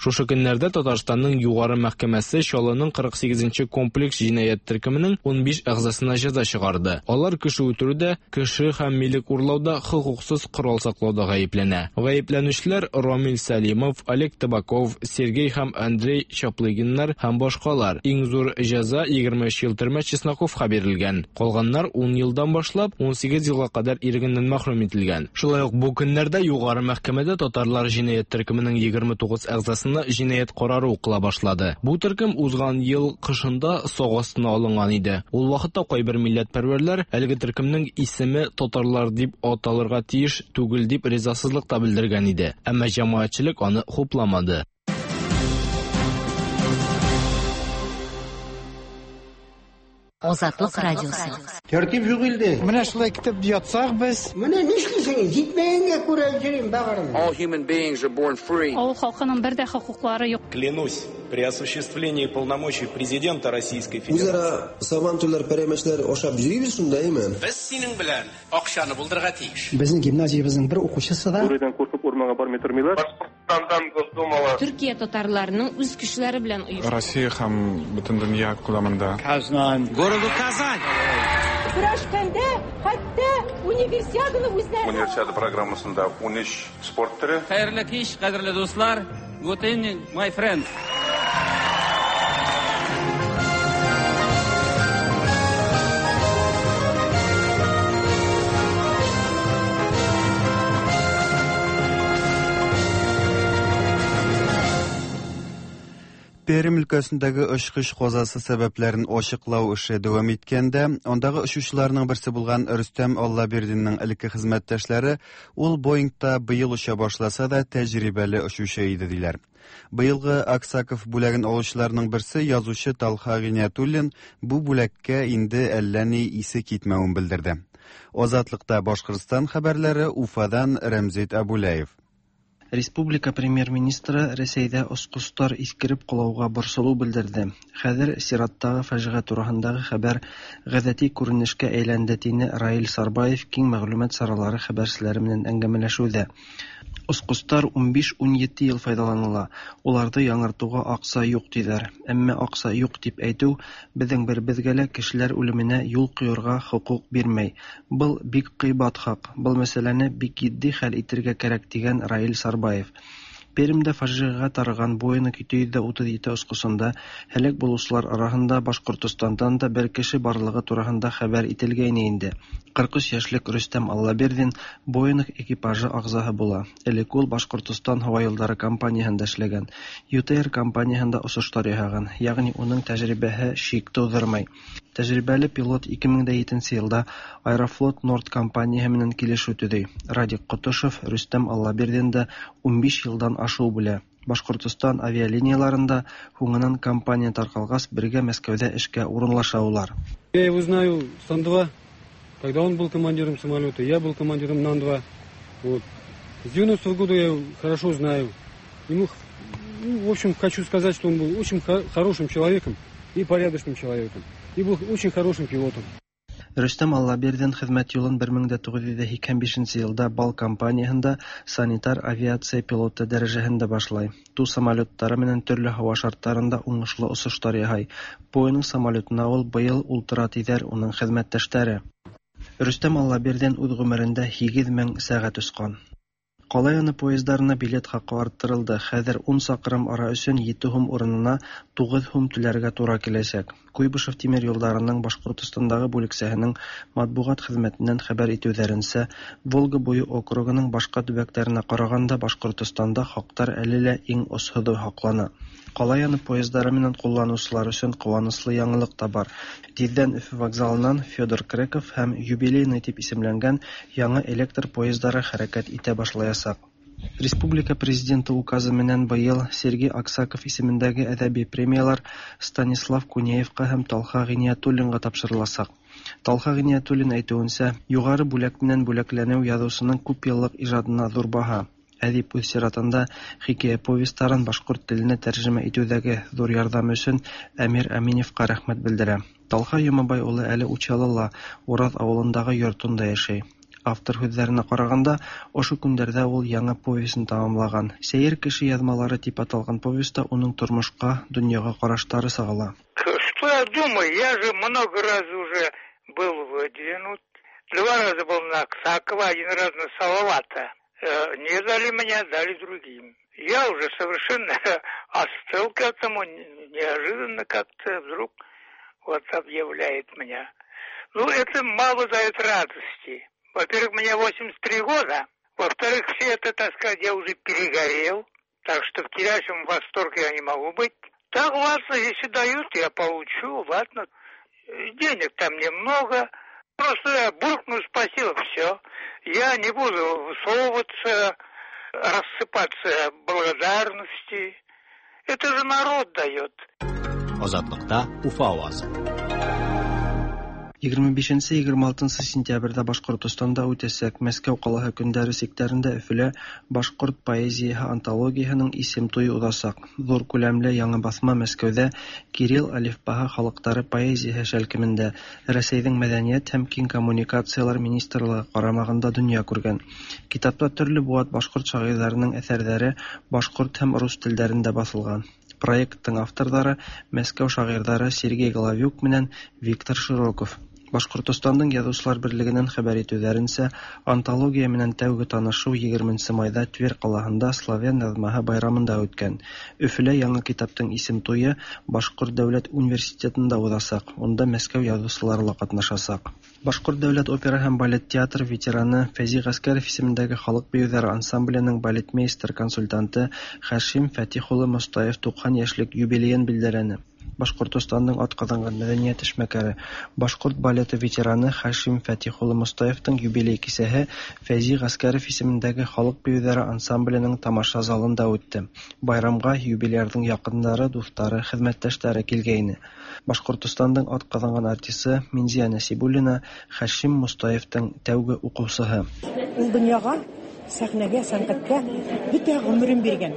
Шушы көннәрдә Татарстанның Югары мәхкәмәсе Чаллының 48 комплекс җинаять төркеменең 15 әгъзасына җәза чыгарды. Алар кеше үтерүдә, кеше һәм милек урлауда, хокуксыз корал саклауда гаепләнә. Гаепләнүчеләр Рамил Сәлимов, Олег Табаков, Сергей һәм Андрей Чаплыгиннар һәм башкалар. Иң зур җәза 23 ел төрмә Чесноковка бирелгән. Калганнар 10 елдан башлап 18 елга кадәр ирегеннән мәхрүм ителгән. Шулай ук бу көннәрдә Югары мәхкәмәдә татарлар җинаять төркеменең 29 әгъзасына җинаять карары укыла башлады. Бу төркем узган ел кышында сак астына алынган иде. Ул вакытта кайбер милләтпәрвәрләр әлеге төркемнең исеме татарлар дип аталырга тиеш түгел дип ризасызлык та белдергән иде. Әмма җәмәгатьчелек аны хупламады. Азатлык радиосы. Тәртип юк илдә. Менә шулай китеп ятсак без. Менә нишлисең? Җитмәгәнгә күрә йөрим бәгырем. All human beings are born free. Авыл халкының бер дә хокуклары юк. Клянусь, при осуществлении полномочий президента Российской Федерации. Үзара сабантуйлар, пәрәмәчләр ашап йөрибез шунда, әйме? Без синең белән акчаны булдырырга тиеш. Безнең гимназиябезнең бер укучысы да. Бүредән куркып урманга бармый тормыйлар. Башкортстандан Госдумала. Төркия татарларының үз көчләре белән оешкан. Россия һәм бөтен дөнья күләмендә. Казан. Городу Казань. Көрәшкәндә хәтта универсиаданы үзләре. Универсиада программасында 13 спорт төре. Хәерле кич, кадерле дуслар. Good evening, my friends. Пермь өлкәсендәге очкыч казасы сәбәпләрен ачыклау эше дәвам иткәндә, андагы очучыларның берсе булган Рөстәм Аллабирдинның элекке хезмәттәшләре ул Боингта быел оча башласа да тәҗрибәле очучы иде диләр. Быелгы Аксаков бүләген алучыларның берсе язучы Талха Гыйниятуллин бу бүләккә инде әллә ни исе китмәвен белдерде. Азатлыкта Башкортстан хәбәрләре Уфадан Рәмзит Абулаев. Республика премьер-министры Рәсәйдә очкычлар искереп калуга борчылу белдерде. Хәзер чираттагы фаҗига турындагы хәбәр гадәти күренешкә әйләнде, диде Раил Сарбаев киң мәгълүмат чаралары хәбәрчеләре белән әңгәмәләшүдә. Очкычлар 15-17 ел файдаланыла. Уларны яңартуга акча юк диләр. Әмма акча юк дип әйтү безнең беребезгә лә кешеләр үлеменә юл куярга хокук бирмәй. Был бик кыйбат хак. Был мәсьәләне бик җитди хәл итәргә кирәк, дигән Раил Сарбаев. Пермьдә фаҗигагә тарыган Боинг 737 очкычында һәлак булучылар арасында Башкортостандан да бер кеше барлыгы турында хәбәр ителгәйне инде. 43 яшьлек Рөстәм Аллабирдин Боинг экипажы әгъзаһы була. Элек ул Башкортостан һава юллары компанияһендә эшләгән, ЮТР компанияһендә очышлар яһаган, ягъни уның тәҗрибәһе шик тудырмый. Тәҗрибәле пилот 2007 елда Аэрофлот Норд компанияһы менән килешү төзи. Радик Котышев Рөстәм Аллабирдинда 15 елдан ашыу белә. Башкортостан авиалинияларында һуңынан компания таркалгач бергә Мәскәүдә эшкә урынлаша улар. Я его знаю с Ан-2, когда он был командиром самолета, я был командиром Ан-2. Вот. С 90-го года я его хорошо знаю. Ему, ну, в общем, хочу сказать, что он был очень хорошим человеком и порядочным человеком. И был очень хорошим пилотом. Рөстәм Аллабирдин хезмәт юлын 1985 елда Бал компанияһендә санитар авиация пилоты дәрәҗәһендә башлай. Ту самолетлары менән төрле һава шартларында уңышлы очышлар яһай. Боинг самолетына ул быел ултыра диләр уның хезмәттәшләре. Рөстәм Аллабирдин үз гомерендә 8000 сәгать очкан. Кала яны поездларына билет хакы арттырылды. Хәзер 10 чакрым ара өчен 7 һум урынына 9 һум түләргә туры киләчәк. Куйбышев тимер юлларының Башкортостандагы бүлексәһенең матбугат хезмәтеннән хәбәр итүләренчә, Волга буе округының башка төбәкләренә караганда Башкортостанда хаклар әле лә иң очсызы һаклана. Кала яны поездлары менән кулланучылар өчен куанычлы яңалык та бар. Тиздән Өфе вокзалыннан Федор Креков һәм Юбилейный дип исемләнгән яңа электр поездлары хәрәкәт итә башлаячак. Республика президенты указы менән быел Сергей Аксаков исемендәге әдәби премиялар Станислав Кунеевка һәм Талха Гыйниятуллинга тапшырылачак. Талха Гыйниятуллин әйтүенчә, югары бүләк менән бүләкләнү язучының күп еллык иҗадына зур баһа. Әдип үз чиратында хикәя повестьларын башкорт теленә тәрҗемә итүдәге зур ярдәме өчен Әмир Әминевка рәхмәт белдерә. Талха Йомабай улы әле Учалыла, Ураз авылындагы йортында яшәй. Автор һүҙҙәренә ҡарағанда, ошо көндәрҙә ул яңы повестен тамамлаған. Сәйер кеше яҙмалары тип аталған повеста уның тормошҡа, донъяға ҡараштары сағыла. Что я думаю? Я же много раз уже был выдвинут. Два раза был на Аксакова, один раз на Салавата. Не дали меня, дали другим. Я уже совершенно остыл к этому, неожиданно как-то вдруг вот объявляет меня. Ну, это мало дает радости. Во-первых, мне 83 года. Во-вторых, все это, так сказать, я уже перегорел. Так что в кипящем восторге я не могу быть. Так, ладно, если дают, я получу, ладно. Денег там немного. Просто я буркну спасибо, все. Я не буду высовываться, рассыпаться благодарности. Это же народ дает. Азатлыкта Уфа авазы. 25-26 сентябрьдә Башкортостанда үтәсәк Мәскәү калаһы көндәре сиктәрендә Өфөлә башкорт поэзияһы антологияһының исем туе узасак. Зур күләмле яңы басма Мәскәүдә Кирилл әлифбаһы халыктары поэзияһы шәлкемендә Рәсәйҙең мәҙәниәт һәм киң коммуникациялар министрлығы ҡарамағында донъя күргән. Китапта төрлө быуат башҡорт шағирҙарының әҫәрҙәре башҡорт һәм рус телдәрендә баҫылған. Проекттың авторҙары Мәскәү шағирҙары Сергей Головюк менән Виктор Широков. Башҡортостандың Яҙыусылар берлегенән хәбәр итеүҙәренсә, антология менән тәүге танышыу 20 майҙа Тверь ҡалаһында славян яҙмаһы байрамында үткән. Өфөлә яңы китаптың исем туйы Башҡорт дәүләт университетында уҙасаҡ. Унда Мәскәү яҙыусылары ла ҡатнашасаҡ. Башҡорт дәүләт опера һәм балет театры ветераны Фәзи Ғәскәров исемендәге халыҡ бейеүҙәре ансамбленең балетмейстер-консультанты Хашим Фәтих улы Мостаев 90 йәшлек юбилейын билдәләне. Башҡортостандың атҡаҙанған мәҙәниәт эшмәкәре, башҡорт балеты ветераны Хашим Фәтих улы Мостаевтың юбилей кисәһе Фәзи Ғәскәров исемендәге халыҡ бейеүҙәре ансамбленең тамаша залында үтте. Байрамға юбилярҙың яҡындары, дуҫтары, хеҙмәттәштәре килгәйне. Башҡортостандың атҡаҙанған артисы Минзия Нәсибуллина Хашим Мостаевтың тәүге уҡыусыһы. Ул донъяға, сәхнәгә, сәнғәткә бөтә ғүмерен биргән.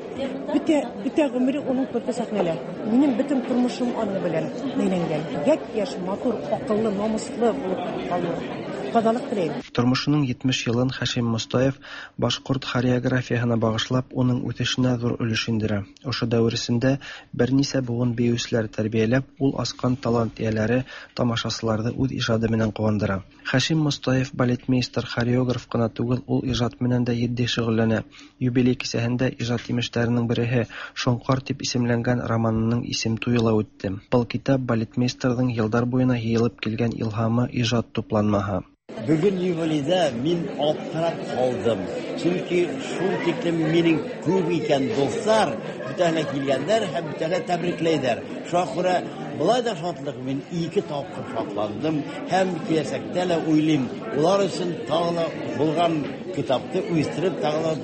Бөтә ғүмере уның күрке сәхнәлә. Минең бөтөн тормошом аның белән бәйләнгән. Япь-яшь, матур, аҡыллы, намыслы булып ҡалыу. Ҡаҙалыҡ теләйем. Тормошоноң 70 йылын Хашим Мостаев башҡорт хореографияһына бағышлап, уның үҫешенә ҙур өлөш индерә. Ошо дәүер эсендә бер нисә быуын бейеүселәр тәрбиәләп, ул асҡан талант эйәләре тамашасыларҙы үҙ ижады менән ҡыуандыра. Хашим Мостаев балетмейстер, хореограф ҡына түгел, ул ижад менән дә етди шөғөлләнә. Юбилей кисәһендә ижад емештәренең береһе Шоңҡар тип исемләнгән романының исем туйы ла үтте. Был китап балетмейстерҙың йылдар буйына йыйылып килгән илһамы, ижад тупланмаһы. Бөгөн юбилейҙа мин аптырап ҡалдым. Сөнки шул тиклем минең күп икән дуҫтар, бөтәһе лә килгәндәр һәм бөтәһе лә тәбрикләйҙәр. Шуңа күрә былай да шатлыҡ, мин 2 тапҡыр шатландым һәм киләсәктә лә уйлыйм, улар өсөн тағы ла булған китапты үҫтереп, тағы ла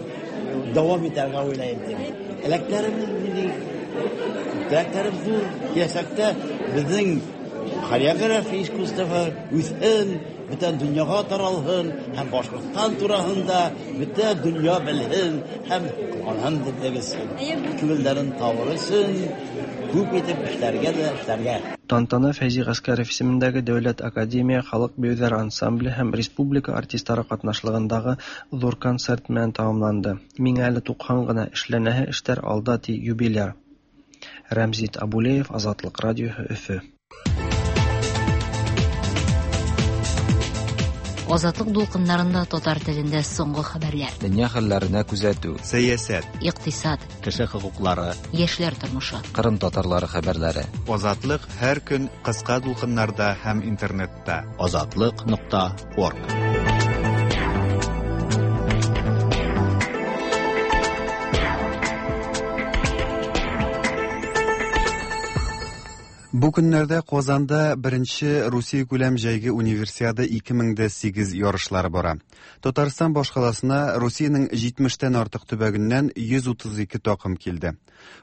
дауам итәргә уйлайым тип. Теләктәребеҙ минең, теләктәрем ҙур. Киләсәктә беҙҙең хореография искусствоһы үҫһен, бөтә донъяға таралһын һәм Башҡортостан тураһында бөтә донъя белһен һәм ҡыуанһын тип күңелдәрен табыр өсөн күп итеп эшләргә лә эшләргә. Тантана Фәйзи Ғәскәров исемендәге Дәүләт академия халыҡ бейеүҙәре ансамбле һәм республика артистары ҡатнашлығындағы ҙур концерт менән тамамланды. Миңә әле 90 ғына, эшләнәһе эштәр алда, ти юбиляр. Рәмзит Абулеев, Азатлыҡ радиоһы, Өфө. Азатлык дулкыннарында татар телендә соңгы хәбәрләр. Дөнья хәлләренә күзәтү. Сәясәт. Икътисад. Кеше хокуклары. Яшьләр тормышы. Кырым татарлары хәбәрләре. Азатлык һәр көн кыска дулкыннарда һәм интернетта. Азатлык.org. Бу көннәрдә Казанда беренче Русия күләм җәйге универсиада 2008 ярышлары бара. Татарстан башкаласына Русиянең 70-тән артык төбәгеннән 132 такым килде.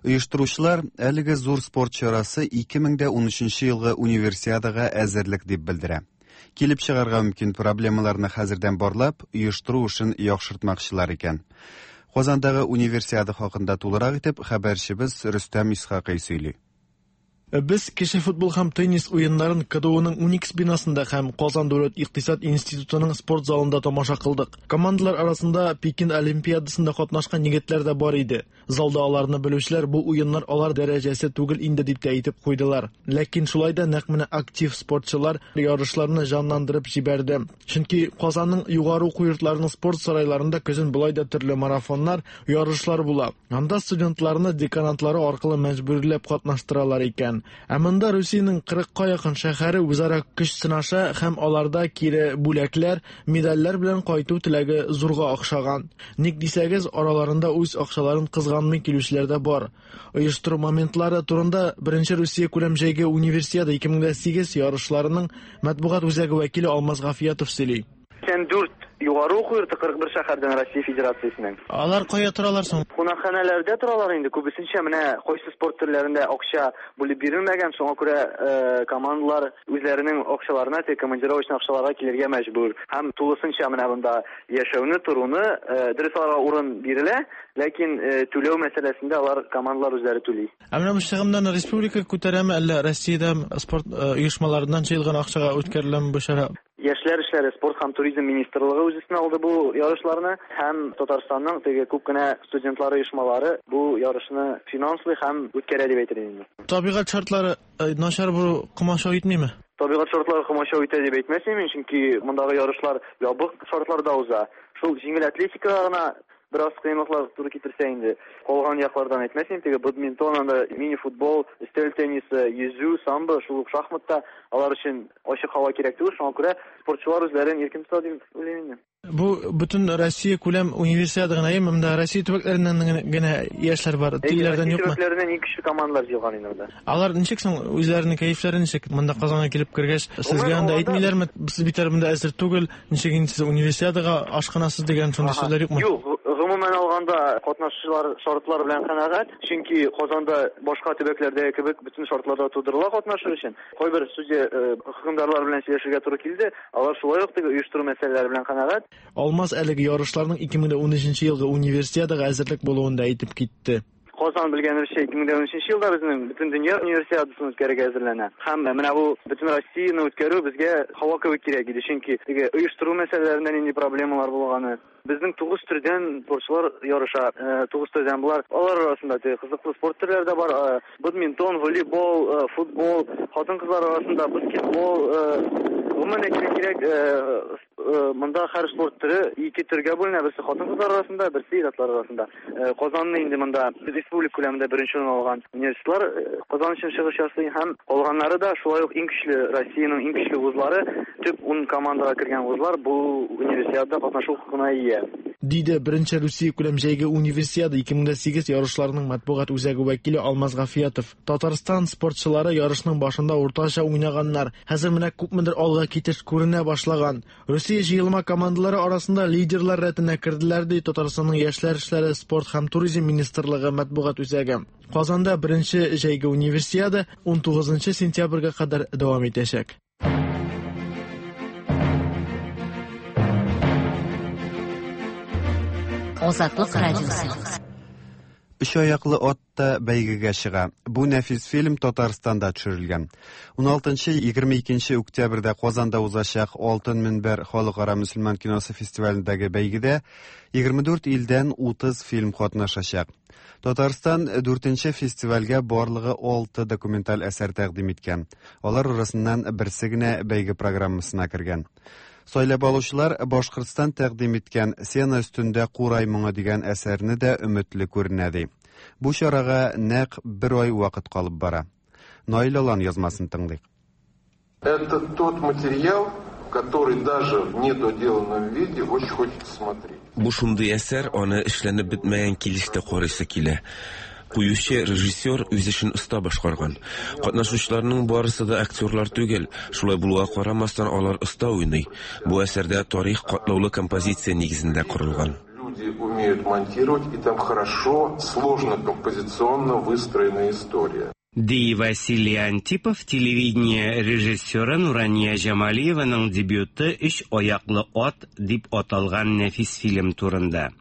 Оештыручылар әлеге зур спорт чарасы 2013 елгы универсиадага әзерлек дип белдерә. Килеп чыгарга мөмкин проблемаларны хәзердән барлап, оештыру эшен яхшыртмакчылар икән. Казандагы универсиада хакында тулырак итеп хәбәрчебез Рөстәм Исхакый сөйли. Без кеше футбол һәм теннис уеннарын КДУның Уникс бинасында һәм Казан дәүләт икътисад институтының спорт залында тамаша кылдык. Командалар арасында Пекин олимпиадасында катнашкан егетләр дә бар иде. Залда аларны белүчеләр бу уеннар алар дәрәҗәсе түгел инде дип тә әйтеп куйдылар. Ләкин шулай да нәкъ менә актив спортчылар ярышларны җанландырып җибәрде. Чөнки Казанның югары уку йортларының спорт сарайларында көзен болай да төрле марафоннар, ярышлар була. Анда студентларны деканатлары аркылы мәҗбүрләп катнаштыралар икән. Ә монда Русиянең 40-ка якын шәһәре үзара көч сынаша һәм аларда кире бүләкләр, медальләр белән кайту теләге зурга охшаган. Ник дисәгез, араларында үз акчаларын кызганмый килүчеләр дә бар. Оештыру моментлары турында беренче Русия күләм җәйге универсиада 2008 ярышларының матбугат үзәге вәкиле Алмаз Гафиятов сөйли. 84 Югары уку йорты 41 шәһәрдән Россия Федерациясеннән. Алар кая торалар соң? Кунакханәләрдә торалар инде. Күбесенчә менә кайсы спорт төрләрендә акча бүлеп бирелмәгән, шуңа күрә э, командалар үзләренең акчаларына, теге командировочный акчаларга килергә мәҗбүр. Һәм тулысынча менә монда яшәүне, торуны, э, дөрес аларга урын бирелә, ләкин э, түләү мәсьәләсендә алар командалар үзләре түли. Ә менә бу чыгымнарны республика күтәрәме, әллә Россиядә спорт оешмаларыннан җыелган акчага үткәреләме бу чара? Яшьләр эшләре, спорт һәм туризм министрлыгы үз өстенә алды бу ярышларны һәм Татарстанның теге күп кенә студентлар оешмалары бу ярышны финанслый һәм үткәрә дип әйтер идем инде. Табигать шартлары э, начар булу комачау итмиме? Табигать шартлары комачау итә дип әйтмәс идем мин, чөнки мондагы ярышлар ябык шартларда уза. Шул җиңел атлетикага гына бераз кыенлыклар туры китерсә инде. Калган яклардан әйтмәс идем, теге бадминтон, анда мини-футбол, өстәл теннисы, йөзү, самбо, шул ук шахмат та алар өчен ачык һава кирәк түгел, шуңа күрә спортчылар үзләрен иркен тота дип уйлыйм инде. Бу бөтен Россия күләм универсиада гына, әйеме? Монда Россия төбәкләреннән генә яшьләр бар, тегеләрдән юкмы? Россия төбәкләреннән иң көчле командалар җыелган инде монда. Алар ничек соң үзләренең кәефләре ничек? Монда Казанга килеп кергәч, сезгә анда әйтмиләрме? Сез бит әле монда әзер түгел, ничек инде сез универсиадага ашкынасыз дигән шундый сүзләр юкмы? Юк, гомумән алганда катнашучылар шартлар белән канәгать, чөнки Казанда башка төбәкләрдәге кебек бөтен шартлар да тудырыла катнашыр өчен. Кайбер судья э, хөкемдарлар белән сөйләшергә туры килде, алар шулай ук теге оештыру мәсьәләләре белән канәгать. Алмаз әлеге ярышларның 2013 елгы универсиадага әзерлек булуын да әйтеп китте. Казан белгәнебезчә 2013 елда безнең Бөтендөнья универсиадасын үткәрергә әзерләнә. Һәм менә бу бөтен Россияне үткәрү безгә һава кебек кирәк иде, чөнки теге оештыру мәсьәләләрендә нинди проблемалар булганы. Безнең 9 төрдән спортчылар ярыша, 9 төрдән болар. Алар арасында теге кызыклы спорт төрләре дә бар. Э, бадминтон, волейбол, э, футбол, хатын-кызлар арасында баскетбол, э, гомумән әйтергә кирәк, Монда һәр спорт төре ике төргә бүленә, берсе хатын-кызлар арасында, берсе ир-атлар арасында. Казанны инде монда республика күләмендә беренче урын алган университетлар Казан өчен чыгыш ясый һәм калганнары да шулай ук иң көчле Россиянең иң көчле вузлары, төп ун командага кергән вузлар бу универсиадада катнашу хокукына ия. Диде Беренче Русиякүләм җәйге Универсиада 2008 ярышларының матбугат үзәге вәкиле Алмаз Гафиятов. Татарстан спортчылары ярышның башында уртача уйнаганнар. Хәзер менә күпмедер алга китеш күренә башлаган. Русия җыелма командалары арасында лидерлар рәтенә керделәр, ди Татарстанның Яшьләр эшләре, спорт һәм туризм министрлыгы матбугат үзәге. Казанда беренче җәйге универсиада 19 сентябрьгә кадәр дәвам итәчәк. Азатлык радиосы. Өч аяклы ат та бәйгегә чыга. Бу нәфис фильм Татарстанда төшерелгән. 16-22 октябрьдә Казанда узачак Алтын мөнбәр халыкара мөселман киносы фестивалендәге бәйгедә 24 илдән 30 фильм катнашачак. Татарстан дүртенче фестивальгә барлыгы алты документаль әсәр тәкъдим иткән. Алар арасыннан берсе генә бәйге программасына кергән. Сайлап алучылар Башкортстан тәкъдим иткән Сена өстендә курай моңы дигән әсәрне дә өметле күренә ди. Бу чарага нәкъ бер ай вакыт калып бара. Наил Алан язмасын тыңлыйк. Это тот материал, который даже в недоделанном виде очень хочется смотреть. Бу шундый әсәр, аны эшләнеп бетмәгән килеш тә карыйсы килә. Куючы режиссер үз эшен оста башкарган. Катнашучыларның барысы да актерлар түгел, шулай булуга карамастан алар оста уйный. Бу әсәрдә тарих катлаулы композиция нигезендә корылган. Люди умеют монтировать, и там хорошо, сложно композиционно выстроена история. Ди Василий Антипов телевидение режиссеры Нурания Җамалиеваның дебюты Өч аяклы ат дип аталган нәфис фильм турында.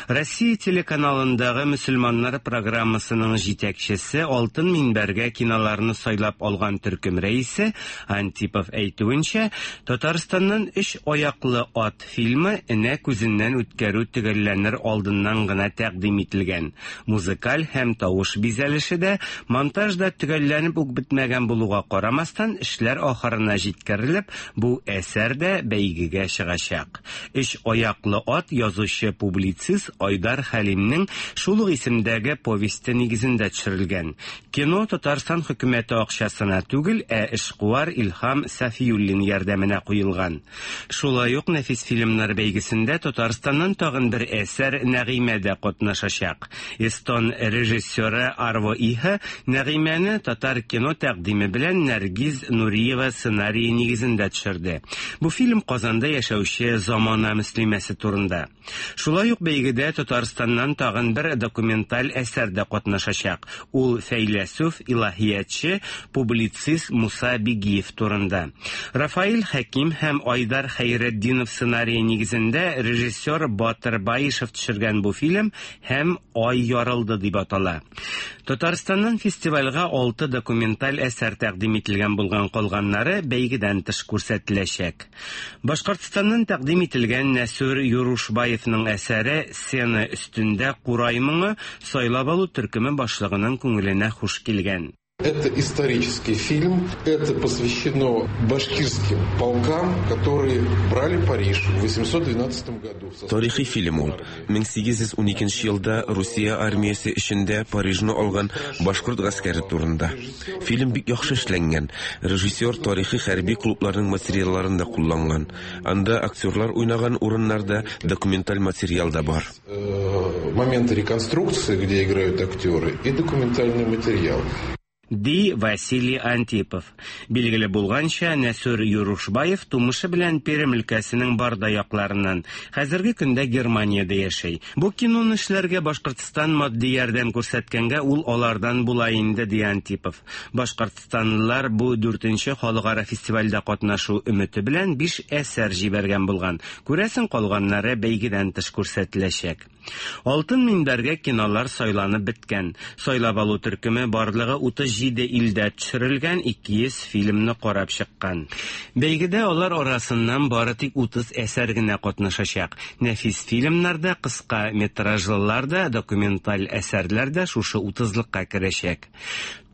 Россия телеканалындагы мөселманнар программасының җитәкчесе Алтын минбәргә киноларны сайлап алган төркем рәисе Антипов әйтүенчә, Татарстаннан Өч аяклы ат Фильмы энә күзеннән үткәрү төгәлләнер алдыннан гына тәкъдим ителгән. Музыкаль һәм тавыш бизәлеше дә, монтаж да төгәлләнеп үк бетмәгән булуга карамастан, эшләр ахырына җиткерелеп, бу әсәр дә бәйгегә чыгачак. Өч аяклы ат язучы-публицист публицист Айдар Хәлимнең шул ук исемдәге повесте нигезендә төшерелгән. Кино Татарстан хөкүмәте акчасына түгел, ә эшкуар Илһам Сафиуллин ярдәменә куелган. Шулай ук нәфис фильмнар бәйгесендә Татарстаннан тагын бер әсәр Нәгыймә дә катнашачак. Эстон режиссеры Арво Иха Нәгыймәне татар кино тәкъдиме белән Нәргиз Нуриева сценарие нигезендә төшерде. Бу фильм Казанда яшәүче замана мөслимәсе турында. Шулай ук бәйгедә Татарстаннан тагын бер документаль әсәр дә катнашачак. Ул фәйләсүф, илаһиятче, публицист Муса Бигиев турында. Рафаэль Хәким һәм Айдар Хәйретдинов сценарие нигезендә режиссер Батыр Баишев төшергән бу фильм һәм Ай ярылды дип атала. Татарстаннан фестивальгә алты документаль әсәр тәкъдим ителгән булган калганнары бәйгедән тыш күрсәтеләчәк. Башкортстаннан тәкъдим ителгән Нәсүр Юрушбаевның әсәре Сцена өстендә курай моңы сайлап алу төркеме башлыгының күңеленә хуш килгән. Это исторический фильм, это посвящено башкирским полкам, которые брали Париж в 812 году. Тарихи фильм ул. 1812 елда Русия армиясе эчендә Парижны алган башкорт гаскәре турында. Фильм бик яхшы эшләнгән. Режиссер тарихи хәрби клубларның материалларын да кулланган. Анда актерлар уйнаган урыннарда документаль материал да бар. Э, моменты реконструкции, где играют актеры, и документальный материал. Ди Василий Антипов. Билгеле булганча, Нәсүр Юрушбаев тумышы белән Пермь өлкәсенең Барда якларыннан. Хәзерге көндә Германиядә яши. Бу киноны эшләргә Башкортстан матди ярдәм күрсәткәнгә ул алардан була инде, ди Антипов. Башкортстанлылар бу дүртенче халыкара фестивальдә катнашу өмете белән биш әсәр җибәргән булган. Күрәсең, калганнары бәйгедән тыш күрсәтеләчәк. Алтын минбәргә кинолар сайланып беткән. Сайлап алу төркеме барлыгы 37 илдә төшерелгән 200 фильмны карап чыккан. Бәйгедә алар арасыннан бары тик 30 әсәр генә катнашачак. Нәфис фильмнар да, кыска метражлылар да, документаль әсәрләр дә шушы утызлыкка керәчәк.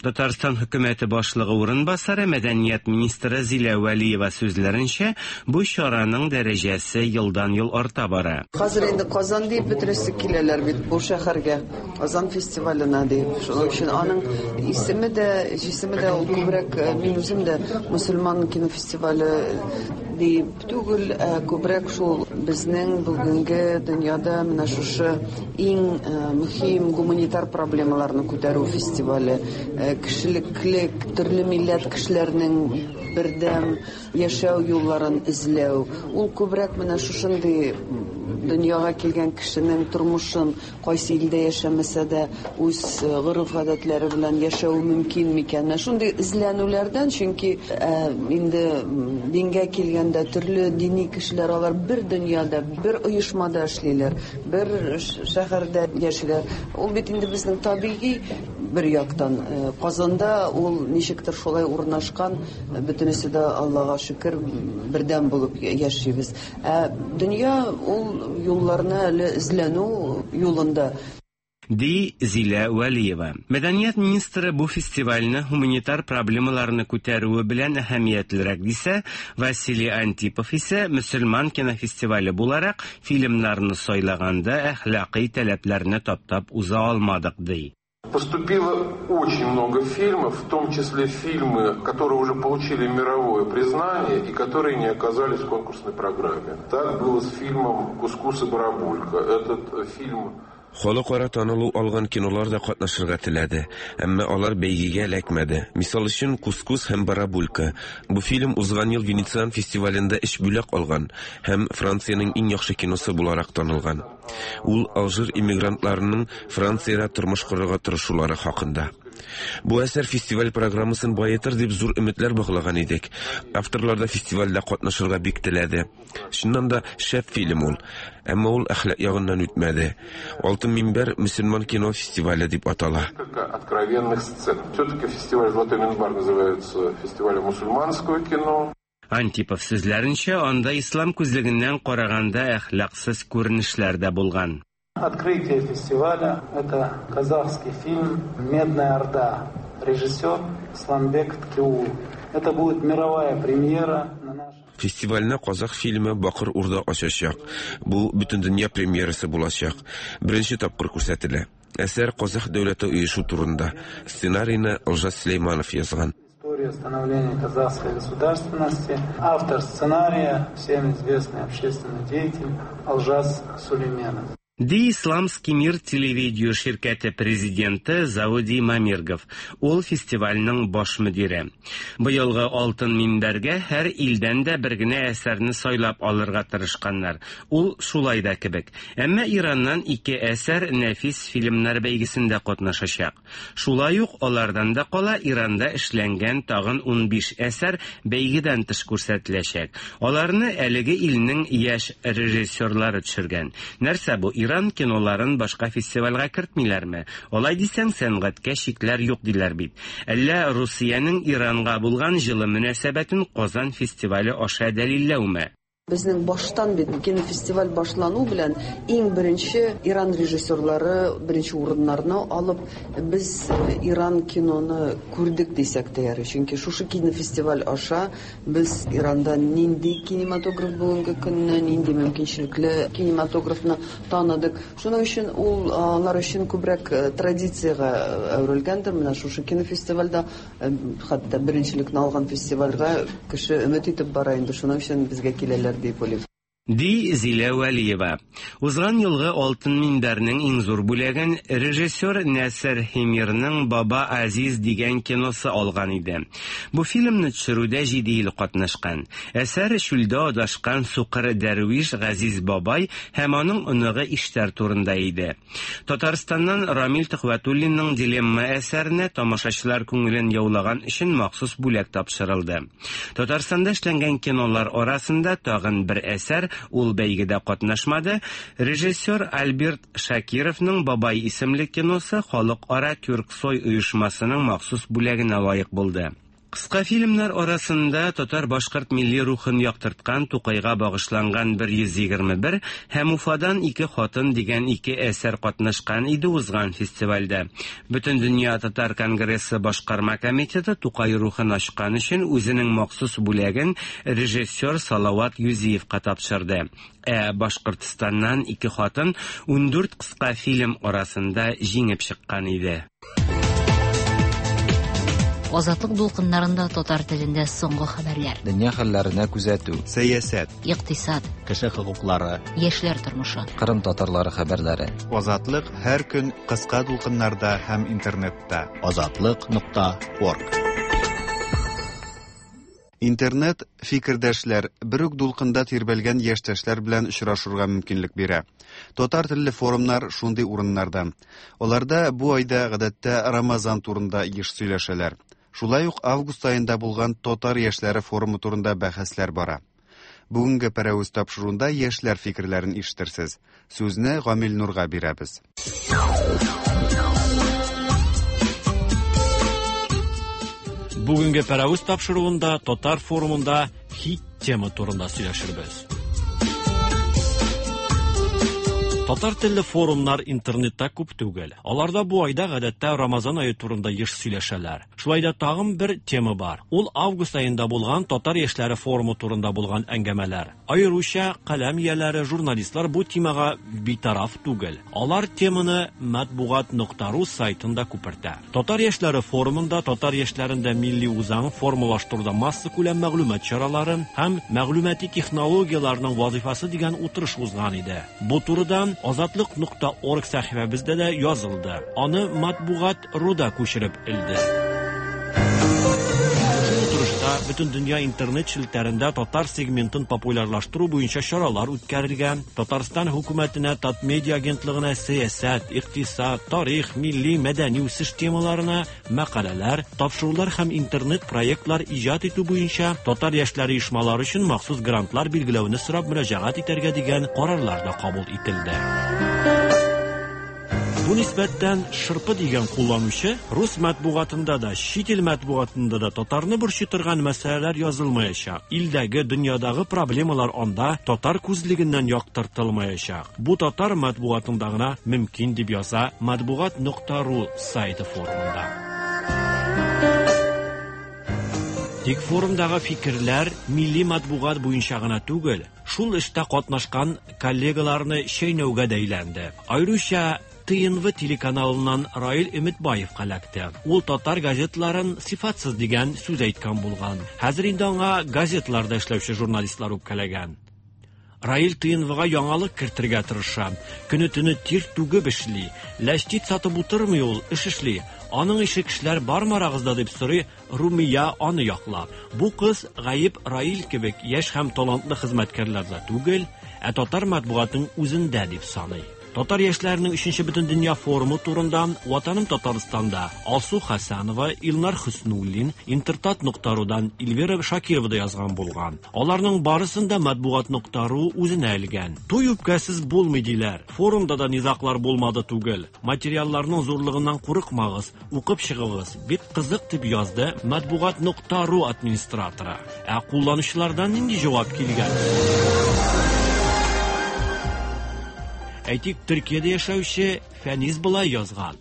Татарстан хөкүмәте башлыгы урынбасары, мәдәният министры Зилә Вәлиева сүзләренчә, бу чараның дәрәҗәсе елдан-ел арта бара. Хәзер инде Казан диеп бөтенесе киләләр бит бу шәһәргә, Казан фестиваленә диеп. Шуның өчен аның исеме дә, җисеме дә ул күбрәк, мин үзем дә мөселман кинофестивале диеп түгел, ә күбрәк шул безнең бүгенге дөньяда менә шушы иң мөһим гуманитар проблемаларны күтәрү фестивале, кешелеклек, төрле милләт кешеләренең бердәм яшәү юлларын эзләү. Ул күбрәк менә шушындый дөньяга килгән кешенең тормышын Кайсы илдә яшәмәсә дә, үз гореф-гадәтләре белән яшәве мөмкин микән? Менә шундый эзләнүләрдән, чөнки инде дингә килгәндә, төрле дини кешеләр алар бер дөньяда, бер оешмада эшлиләр, бер шәһәрдә яшиләр. Ул бит инде безнең табигый бер яктан. Казанда ул ничектер шулай урнашкан, бөтенесе дә, Аллага шөкер, бердәм булып яшибез. Ә дөнья ул юлларны әле эзләнү юлында. Ди Зилә Вәлиева. Мәдәният министры бу фестивальне һуманитар проблемаларны күтәрүе белән әһәмиятлерәк дисә, Василий Антипов исә мөселман кинофестивале буларак фильмнарны сайлаганда әхлакый таләпләрне таптап уза алмадык, ди. Поступило очень много фильмов, в том числе фильмы, которые уже получили мировое признание и которые не оказались в конкурсной программе. Так было с фильмом «Кускус и барабулька». Этот фильм Халыкара танылу алган кинолар да катнашырга теләде, әмма алар бәйгегә эләкмәде. Мисал өчен, Кускус һәм Барабулька. Бу фильм узган ел Венециан фестивалендә өч бүләк алган һәм Франциянең иң яхшы киносы буларак танылган. Ул Алжир иммигрантларының Франциядә тормыш корырга тырышулары хакында. Бу әсәр фестиваль программасын баетыр дип зур өметләр баглаган идек. Авторлар да фестивальдә катнашырга бик теләде. Чыннан да шәп фильм ул. Әмма ул әхлак ягыннан үтмәде. Алтын минбәр мөселман кино фестивале дип атала. Откровенных сцен. Все-таки фестиваль «Золотой минбар» называется фестивалем мусульманского кино. Антипов сүзләренчә, анда ислам күзлегеннән караганда әхлаксыз күренешләр дә булган. Открытие фестиваля это казахский фильм Медная Орда. Режиссер Сламбек Ткеул. Это будет мировая премьера на нашем. Фестивальне казах фильмы Бакыр Урда ачачак. Бу бөтендөнья премьерасы булачак. Беренче тапкыр күрсәтелә. Әсәр казах дәүләте оешу турында. Сценарийны Олжас Сөләйманов язган. История становления казахской государственности. Автор сценария, всем известный общественный деятель Олжас Сулейменов. Ди Исламский мир телевидео ширкәте президенты Зауди Мамиргов. Ул фестивальнең баш мөдире. Быелгы Алтын минбәргә һәр илдән дә бер генә әсәрне сайлап алырга тырышканнар. Ул шулай да кебек. Әмма Ираннан ике әсәр нәфис фильмнар бәйгесендә катнашачак. Шулай ук алардан да кала Иранда эшләнгән тагын 15 әсәр бәйгедән тыш күрсәтеләчәк. Аларны әлеге илнең яшь режиссерлары төшергән. Нәрсә бу, Иран киноларын башка фестивальгә кертмиләрме? Алай дисәң, сәнгатькә чикләр юк диләр бит. Әллә Русиянең Иранга булган җылы мөнәсәбәтен Казан фестивале аша дәлилләүме? Безнең баштан бит кинофестиваль башлану белән иң беренче Иран режиссерлары беренче урыннарны алып, без Иран киноны күрдек дисәк тә ярый. Чөнки шушы кинофестиваль аша без Иранда нинди кинематограф бүгенге көнне, нинди мөмкинчелекле кинематографны таныдык. Шуның өчен ул алар өчен күбрәк традициягә әверелгәндер. Менә шушы кинофестивальдә Хәтта беренчелекне алган фестивальгә кеше өмет итеп бара инде, шуның өчен безгә киләләр дип уйлыйм. Ди Зилә Вәлиева. Узган елгы Алтын минбәрнең иң зур бүләген режиссер Нәсер Химирның Баба Азиз дигән киносы алган иде. Бу фильмны төшерүдә җиде ил катнашкан. Әсәр чүлдә адашкан сукыр дәрвиш Газиз бабай һәм аның оныгы Иштәр турында иде. Татарстаннан Рамил Төхвәтуллинның Дилемма әсәренә тамашачылар күңелен яулаган өчен махсус бүләк тапшырылды. Татарстанда эшләнгән кинолар арасында тагын бер әсәр, ул бәйгедә катнашмады, режиссер Альберт Шакировның Бабай исемле киносы Халыкара Тюрксой оешмасының махсус бүләгенә лаек булды. Кыска фильмнар арасында татар-башкорт милли рухын яктырткан Тукайга багышланган 121 һәм Уфадан ике хатын дигән ике әсәр катнашкан иде узган фестивальдә. Бөтендөнья татар конгрессы башкарма комитеты Тукай рухын ачкан өчен үзенең махсус бүләген режиссер Салават Юзиевка тапшырды. Ә Башкортстаннан ике хатын 14 кыска фильм арасында җиңеп чыккан иде. Азатлык дулкыннарында татар телендә соңгы хәбәрләр. Дөнья хәлләренә күзәтү. Сәясәт. Икътисад. Кеше хокуклары. Яшьләр тормышы. Кырым татарлары хәбәрләре. Азатлык һәр көн кыска дулкыннарда һәм интернетта. Азатлык нокта орг. Интернет фикердәшләр, бер үк дулкында тирбәлгән яшьтәшләр белән очрашырга мөмкинлек бирә. Татар телле форумнар шундый урыннардан. Аларда бу айда гадәттә Рамазан турында еш сөйләшәләр. Шулай ук август аенда булган татар яшьләре форумы турында бәхәсләр бара. Бүгенге Пәрәвез тапшыруында яшьләр фикерләрен ишетерсез. Сүзне Гамил Нурга бирәбез. Бүгенге Пәрәвез тапшыруында татар форумында хит тема турында сөйләшербез. Татар телле форумнар интернетта күп түгел. Аларда бу айда гадәттә Рамазан ае турында еш сөйләшәләр. Шулай да тагын бер тема бар. Ул август аенда булган татар яшьләре форумы турында булган әңгәмәләр. Аеруча каләм ияләре, журналистлар бу темага битараф түгел. Алар теманы матбугат нокта ру сайтында күпертә. Татар яшьләре форумында татар яшьләрендә милли үзаң формалаштыруда массакүләм мәгълүмат чаралары һәм мәгълүмати технологияләрнең вазифасы дигән утырыш узган иде. Бу турыда Азатлык нокта орг сәхифәбездә дә язылды. Аны матбугат руда күчереп элде. Утырышта бөтен дөнья интернет челтәрендә татар сегментын популярлаштыру буенча чаралар үткәрергә, Татарстан хөкүмәтенә, Татмедиа агентлыгына сәясәт, икътисад, тарих, милли, мәдәни үсеш темаларына мәкаләләр, тапшырулар һәм интернет проектлар иҗат итү буенча татар яшьләре оешмалары өчен махсус грантлар билгеләүне сорап мөрәҗәгать итәргә дигән карарлар да кабул ителде. Бу нисбәттән Шырпы дигән кулланучы рус матбугатында да, чит ил матбугатында да татарны борчый торган мәсьәләләр язылмаячак. Илдәге, дөньядагы проблемалар анда татар күзлегеннән яктыртылмаячак. Бу татар матбугатында гына мөмкин дип яза матбугат нокта ру сайты форумында. Тик форумдагы фикерләр милли матбугат буенча гына түгел, шул эштә катнашкан коллегаларны чәйнәүгә дә әйләнде. Аеруча ТНВ телеканалыннан Раил Өметбаевка эләкте. Ул татар газетларын сыйфатсыз дигән сүз әйткән булган. Хәзер инде аңа газетларда эшләүче журналистлар үпкәләгән. Раил ТНВга яңалык кертергә тырыша. Көне-төне тир түгеп эшли. Ләчтит сатып утырмый ул, эш эшли. Аның ише кешеләр бармы арагызда дип сорый Румия аны яклап. Бу кыз гаеп Раил кебек яшь һәм талантлы хезмәткәрләрдә түгел, ә татар матбугатының үзендә дип саный. Татар яшьләренең өченче бөтендөнья форумы турында Ватаным Татарстанда Алсу Хәсәнова, Илнар Хөснуллин, Интертат нокта рудан Эльвира Шакирова да язган булган. Аларның барысын да матбугат нокта ру үзенә элгән. Туй үпкәсез булмый диләр. Форумда да низаглар булмады түгел. Материалларның зурлыгыннан курыкмагыз, укып чыгыгыз, бик кызык дип язды матбугат нокта ру администраторы. Ә кулланучылардан нинди җавап килгән? Әйтик, Төркиядә яшәүче Фәнис болай язган.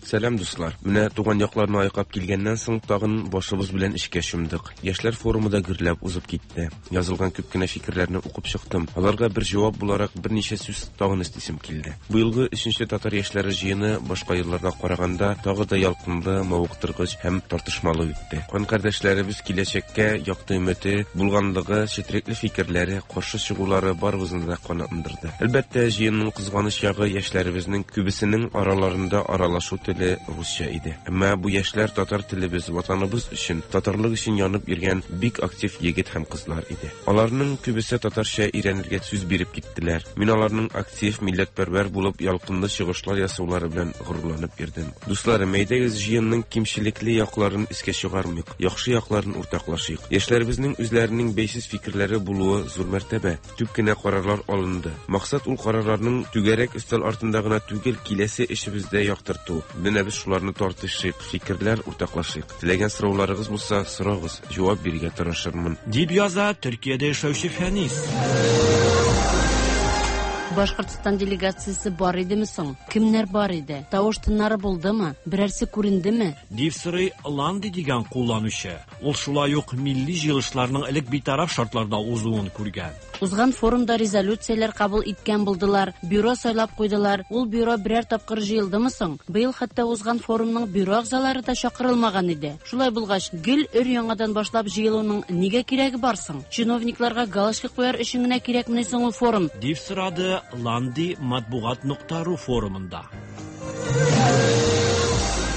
Сәлам, дуслар. Менә туган якларны айкап килгәннән соң тагын башыбыз белән эшкә чумдык. Яшьләр форумы да гөрләп узып китте. Язылган күп кенә фикерләрне укып чыктым. Аларга бер җавап буларак берничә сүз тагын өстисем килде. Быелгы өченче татар яшьләре җыены башка елларга караганда тагы да ялкынлы, мавыктыргыч һәм тартышмалы үтте. Кан кардәшләребез киләчәккә якты өмете булганлыгы, четрекле фикерләре, каршы чыгулары барыбызны да канатландырды. Әлбәттә, җыенның кызганыч ягы яшьләребезнең күбесенең араларында аралашу теле русча иде. Әмма бу яшьләр татар телебез, ватаныбыз өчен, татарлык өчен янып йөргән бик актив егет һәм кызлар иде. Аларның күбесе татарча өйрәнергә сүз биреп киттеләр. Мин аларның актив, милләтпәрвәр булып, ялкынлы чыгышлар ясаулары белән горурланып йөрдем. Дусларым, әйдәгез җыенның кимчелекле якларын искә чыгармыйк, яхшы якларын уртаклашыйк. Яшьләребезнең үзләренең бәйсез фикерләре булуы зур мәртәбә. Күп кенә карарлар алынды. Максат ул карарларның түгәрәк өстәл артында гына түгел, киләсе эшебездә яктырту. Менә без шуларны тартышыйк, фикерләр уртаклашыйк. Теләгән сорауларыгыз булса, сорагыз, җавап бирергә тырышырмын. Дип яза Төркиядә яшәүче Фәнис. Башкортстан делегациясе бар идеме соң? Кемнәр бар иде? Тавыш-тыннары булдымы? Берәрсе күрендеме? Дип сорый Ланди дигән кулланучы. Ул шулай ук милли җыелышларның элек битараф шартларда узуын күргән. Узган форумда резолюцияләр кабул иткән булдылар, бюро сайлап куйдылар. Ул бюро берәр тапкыр җыелдымы соң? Быел хәтта узган форумның бюро әгъзалары да чакырылмаган иде. Шулай булгач, гел өр-яңадан башлап җыелуның нигә кирәге бар соң? Чиновникларга галочка куяр өчен генә кирәкмени соң ул форум? Дип сорады Ланди матбугат нокта ру форумында.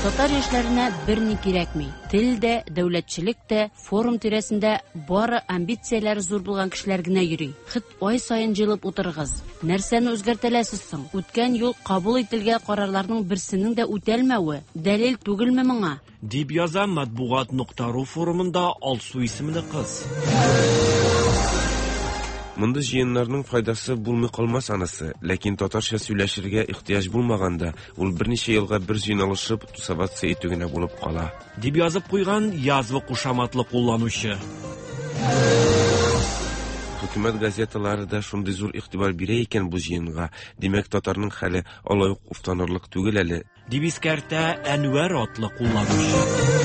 Татар яшьләренә берни кирәкми. Тел дә, дәүләтчелек тә, форум тирәсендә бары амбицияләре зур булган кешеләр генә йөри. Хет ай саен җыелып утырыгыз. Нәрсәне үзгәртәләсез соң? Үткән юл кабул ителгән карарларның берсенең дә үтәлмәве дәлил түгелме моңа? Дип яза матбугат нокта ру форумында Алсу исемле кыз. Мондый җыеннарның файдасы булмый калмас анысы, ләкин татарча сөйләшергә ихтыяҗ булмаганда, ул берничә елга бер җыйналышып, тусоваться итү генә булып кала. Дип язып куйган Язва кушаматлы кулланучы. Хөкүмәт газеталары да шундый зур игътибар бирә икән бу җыенга, димәк, татарның хәле алай ук уфтанырлык түгел әле, Дип искәртә Әнвәр атлы кулланучы.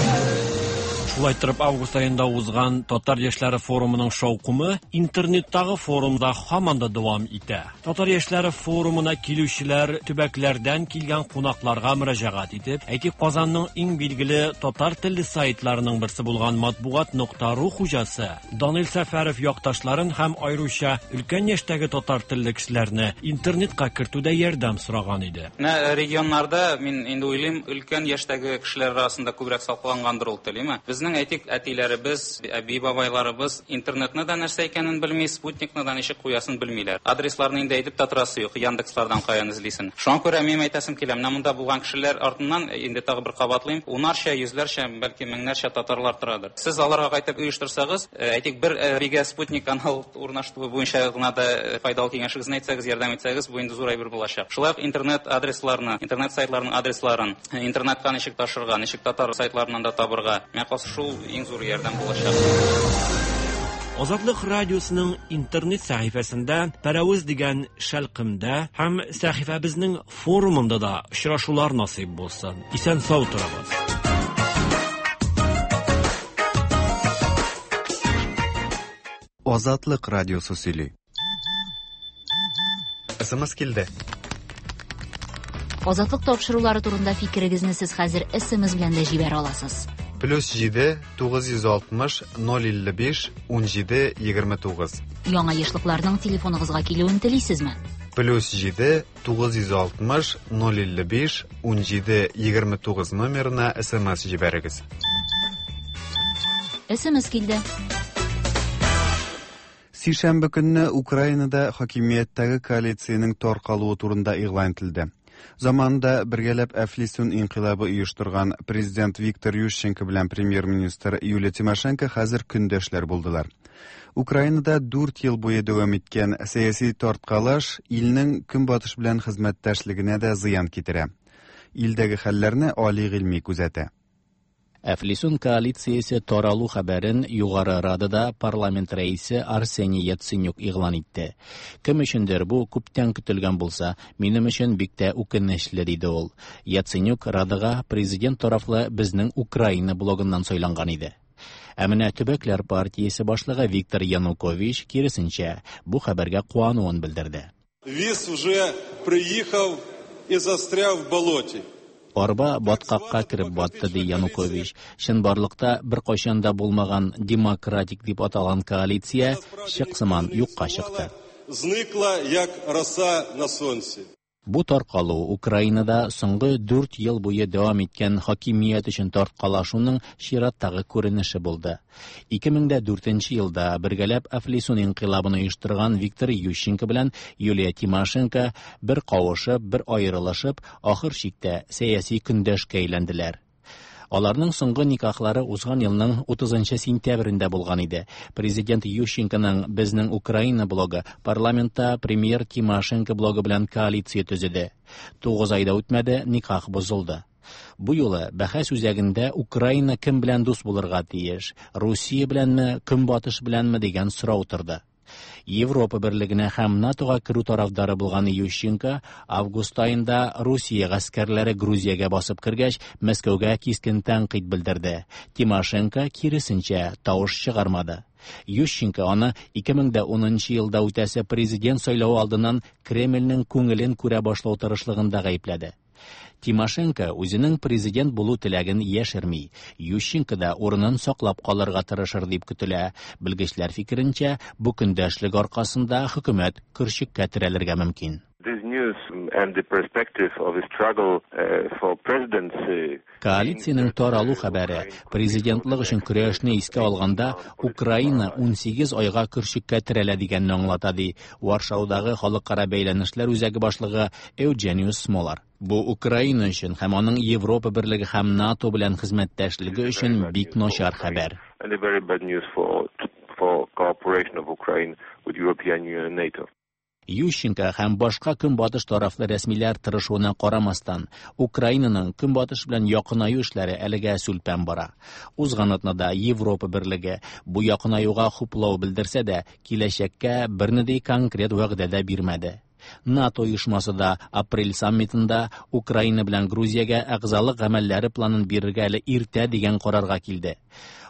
Шулай торып, август аенда узган Татар яшьләре форумының шаукымы интернеттагы форумда һаман да дәвам итә. Татар яшьләре форумына килүчеләр төбәкләрдән килгән кунакларга мөрәҗәгать итеп, әйтик, Казанның иң билгеле татар телле сайтларының берсе булган матбугат нокта ру хуҗасы Данил Сәфәров якташларын һәм аеруча өлкән яшьтәге татар телле кешеләрне интернетка кертүдә ярдәм сораган иде. Менә э, регионнарда, мин инде уйлыйм, өлкән яшьтәге кешеләр арасында күбрәк саклангандыр ул тел, име? Безнең, әйтик, әтиләребез, әби-бабайларыбыз интернетны да нәрсә икәнен белми, спутникны да ничек куясын белмиләр. Адресларны инде әйтеп тә торасы юк, Яндекслардан каян эзлисен. Шуңа күрә минем әйтәсем килә, менә монда булган кешеләр артыннан, э, инде тагы бер кабатлыйм, унарча, йөзләрчә, бәлки меңнәрчә татарлар торадыр. Сез аларга кайтып оештырсагыз, э, әйтик, бер әбигә спутник канал урнаштыру буенча гына да э, файдалы киңәшегезне әйтсәгез, ярдәм итсәгез, бу инде зур әйбер булачак. Шулай ук интернет адресларны, интернет сайтларының адресларын, э, интернетка ничек ташырга, ничек татар сайтларыннан да табырга, миңа калса, шул иң зур ярдәм булачак. Азатлык радиосының интернет сәхифәсендә Пәрәвез дигән шәлкемдә һәм сәхифәбезнең форумында да очрашулар насыйп булсын. Исән-сау торыгыз. Азатлык радиосы сөйли. СМС килде. Азатлык тапшырулары турында фикерегезне сез хәзер СМС белән дә җибәрә аласыз. Плюс 7 960 055 17 29. Яңа ешлыкларның телефоныгызга килүен телисезме? Плюс 7 960 055 17 29 номерына СМС җибәрегез. СМС килде. Сишәмбе көнне Украинада хакимияттәге коалициянең таркалуы турында игълан ителде. Заманында бергәләп Әфлисун инкыйлабы оештырган президент Виктор Ющенко белән премьер-министр Юлия Тимошенко хәзер көндәшләр булдылар. Украинада 4 ел буе дәвам иткән сәяси тарткалаш илнең көнбатыш белән хезмәттәшлегенә дә зыян китерә. Илдәге хәлләрне Али Гыйльми күзәтә. Әфлисун коалициясе таралу хәбәрен Югары Радада парламент рәисе Арсений Яценюк игълан итте. Кем өчендер бу күптән көтелгән булса, минем өчен бик тә үкенечле, диде ул. Яценюк Радага президент тарафлы Безнең Украина блогыннан сайланган иде. Ә менә Төбәкләр партиясе башлыгы Виктор Янукович, киресенчә, бу хәбәргә куануын белдерде. Віз уже приїхав і застряв в болоті. Арба баткакка кереп батты, ди Янукович. Чынбарлыкта беркайчан да булмаган демократик дип аталган коалиция чык сыман юкка чыкты. Зникла, як роса на сонці. Бу таркалу Украинада соңгы 4 ел буе дәвам иткән хакимият өчен тарткалашуның чираттагы күренеше булды. 2004 елда бергәләп Әфлисун инкыйлабын оештырган Виктор Ющенко белән Юлия Тимошенко бер кавышып, бер аерылышып, ахыр чиктә сәяси көндәшкә әйләнделәр. Аларның соңгы никахлары узган елның 30 сентябрендә булган иде. Президент Ющенконың Безнең Украина блогы парламентта премьер Тимошенко блогы белән коалиция төзеде. 9 ай да үтмәде, никах бозылды. Бу юлы бәхәс үзәгендә Украина кем белән дус булырга тиеш, Русия беләнме, Көнбатыш беләнме дигән сорау торды. Европа берлегенә һәм НАТОга керү тарафдары булган Ющенко август аенда Русия гаскәрләре Грузиягә басып кергәч, Мәскәүгә кискен тәнкыйть белдерде. Тимошенко киресенчә тавыш чыгармады. Ющенко аны 2010 елда үтәсе президент сайлавы алдыннан Кремльнең күңелен күрә башлау тырышлыгында гаепләде. Тимошенко үзенең президент булу теләген яшерми. Ющенко да урынын саклап калырга тырышыр дип көтелә. Белгечләр фикеренчә, бу көндәшлек аркасында хөкүмәт көрчеккә терәлергә мөмкин. This news and the perspective of a struggle for presidency Коалициянең таралу хәбәре президентлык өчен көрәшне искә алганда Украина 18 айга көрчеккә терәлә дигәнне аңлата, ди Варшаудагы халыкара бәйләнешләр үзәге башлыгы Эуджениус Смолар. Бу Украина өчен һәм аның Европа берлеге һәм НАТО белән хезмәттәшлеге өчен бик начар хәбәр. And a very bad news for cooperation of Ukraine with European Union and NATO. Ющенко һәм башка көнбатыш тарафлы рәсмиләр тырышуына карамастан, Украинаның көнбатыш белән якынаю эшләре әлегә сүлпән бара. Узган атнада Европа берлеге бу якынаюга хуплау белдерсә дә, киләчәккә бернинди конкрет вәгъдә дә бирмәде. НАТО оешмасы да апрель саммитында Украина белән Грузиягә әгъзалык гамәлләре планын бирергә әле иртә дигән карарга килде.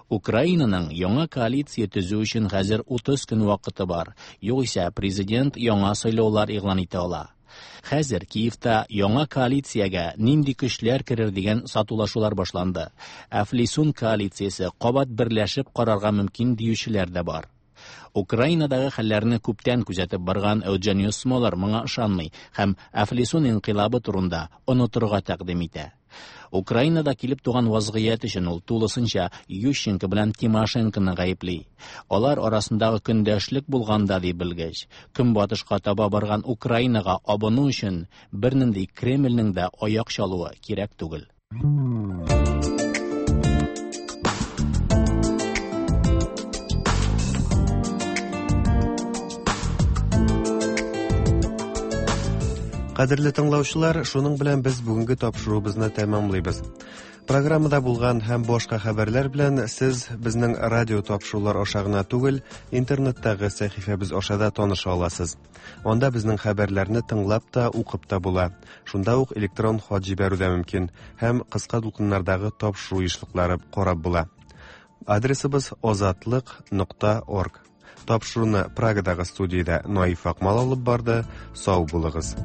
Украинаның яңа коалиция төзү өчен хәзер 30 көн вакыты бар. Югыйсә президент яңа сайлаулар игълан итә ала. Хәзер Киевта яңа коалициягә нинди көчләр керер дигән сатулашулар башланды. Әфлисун коалициясе кабат берләшеп карарга мөмкин диючеләр дә бар. Украинадагы хәлләрне күптән күзәтеп барган Эуджениус Смолар моңа ышанмый һәм Әфлисун инкыйлабы турында онытырга тәкъдим итә. Украинада килеп туган вазгыять өчен ул тулысынча Ющенко белән Тимошенконы гаепли. Алар арасындагы көндәшлек булганда, ди белгеч, көнбатышка таба барган Украинага абыну өчен бернинди Кремльнең дә аяк чалуы кирәк түгел. Кадерле тыңлаучылар, шуның белән без бүгенге тапшыруыбызны тәмамлыйбыз. Программада булган һәм башка хәбәрләр белән сез безнең радио тапшырулар аша гына түгел, интернеттагы сәхифәбез аша да таныша аласыз. Анда безнең хәбәрләрне тыңлап та, укып та була. Шунда ук электрон хат җибәрү дә мөмкин һәм кыска дулкыннардагы тапшыру ешлыклары карап була. Адресыбыз озатлык нокта орг. Тапшыруны Прагадагы студиядә Наиф Акмал алып барды. Сау булыгыз.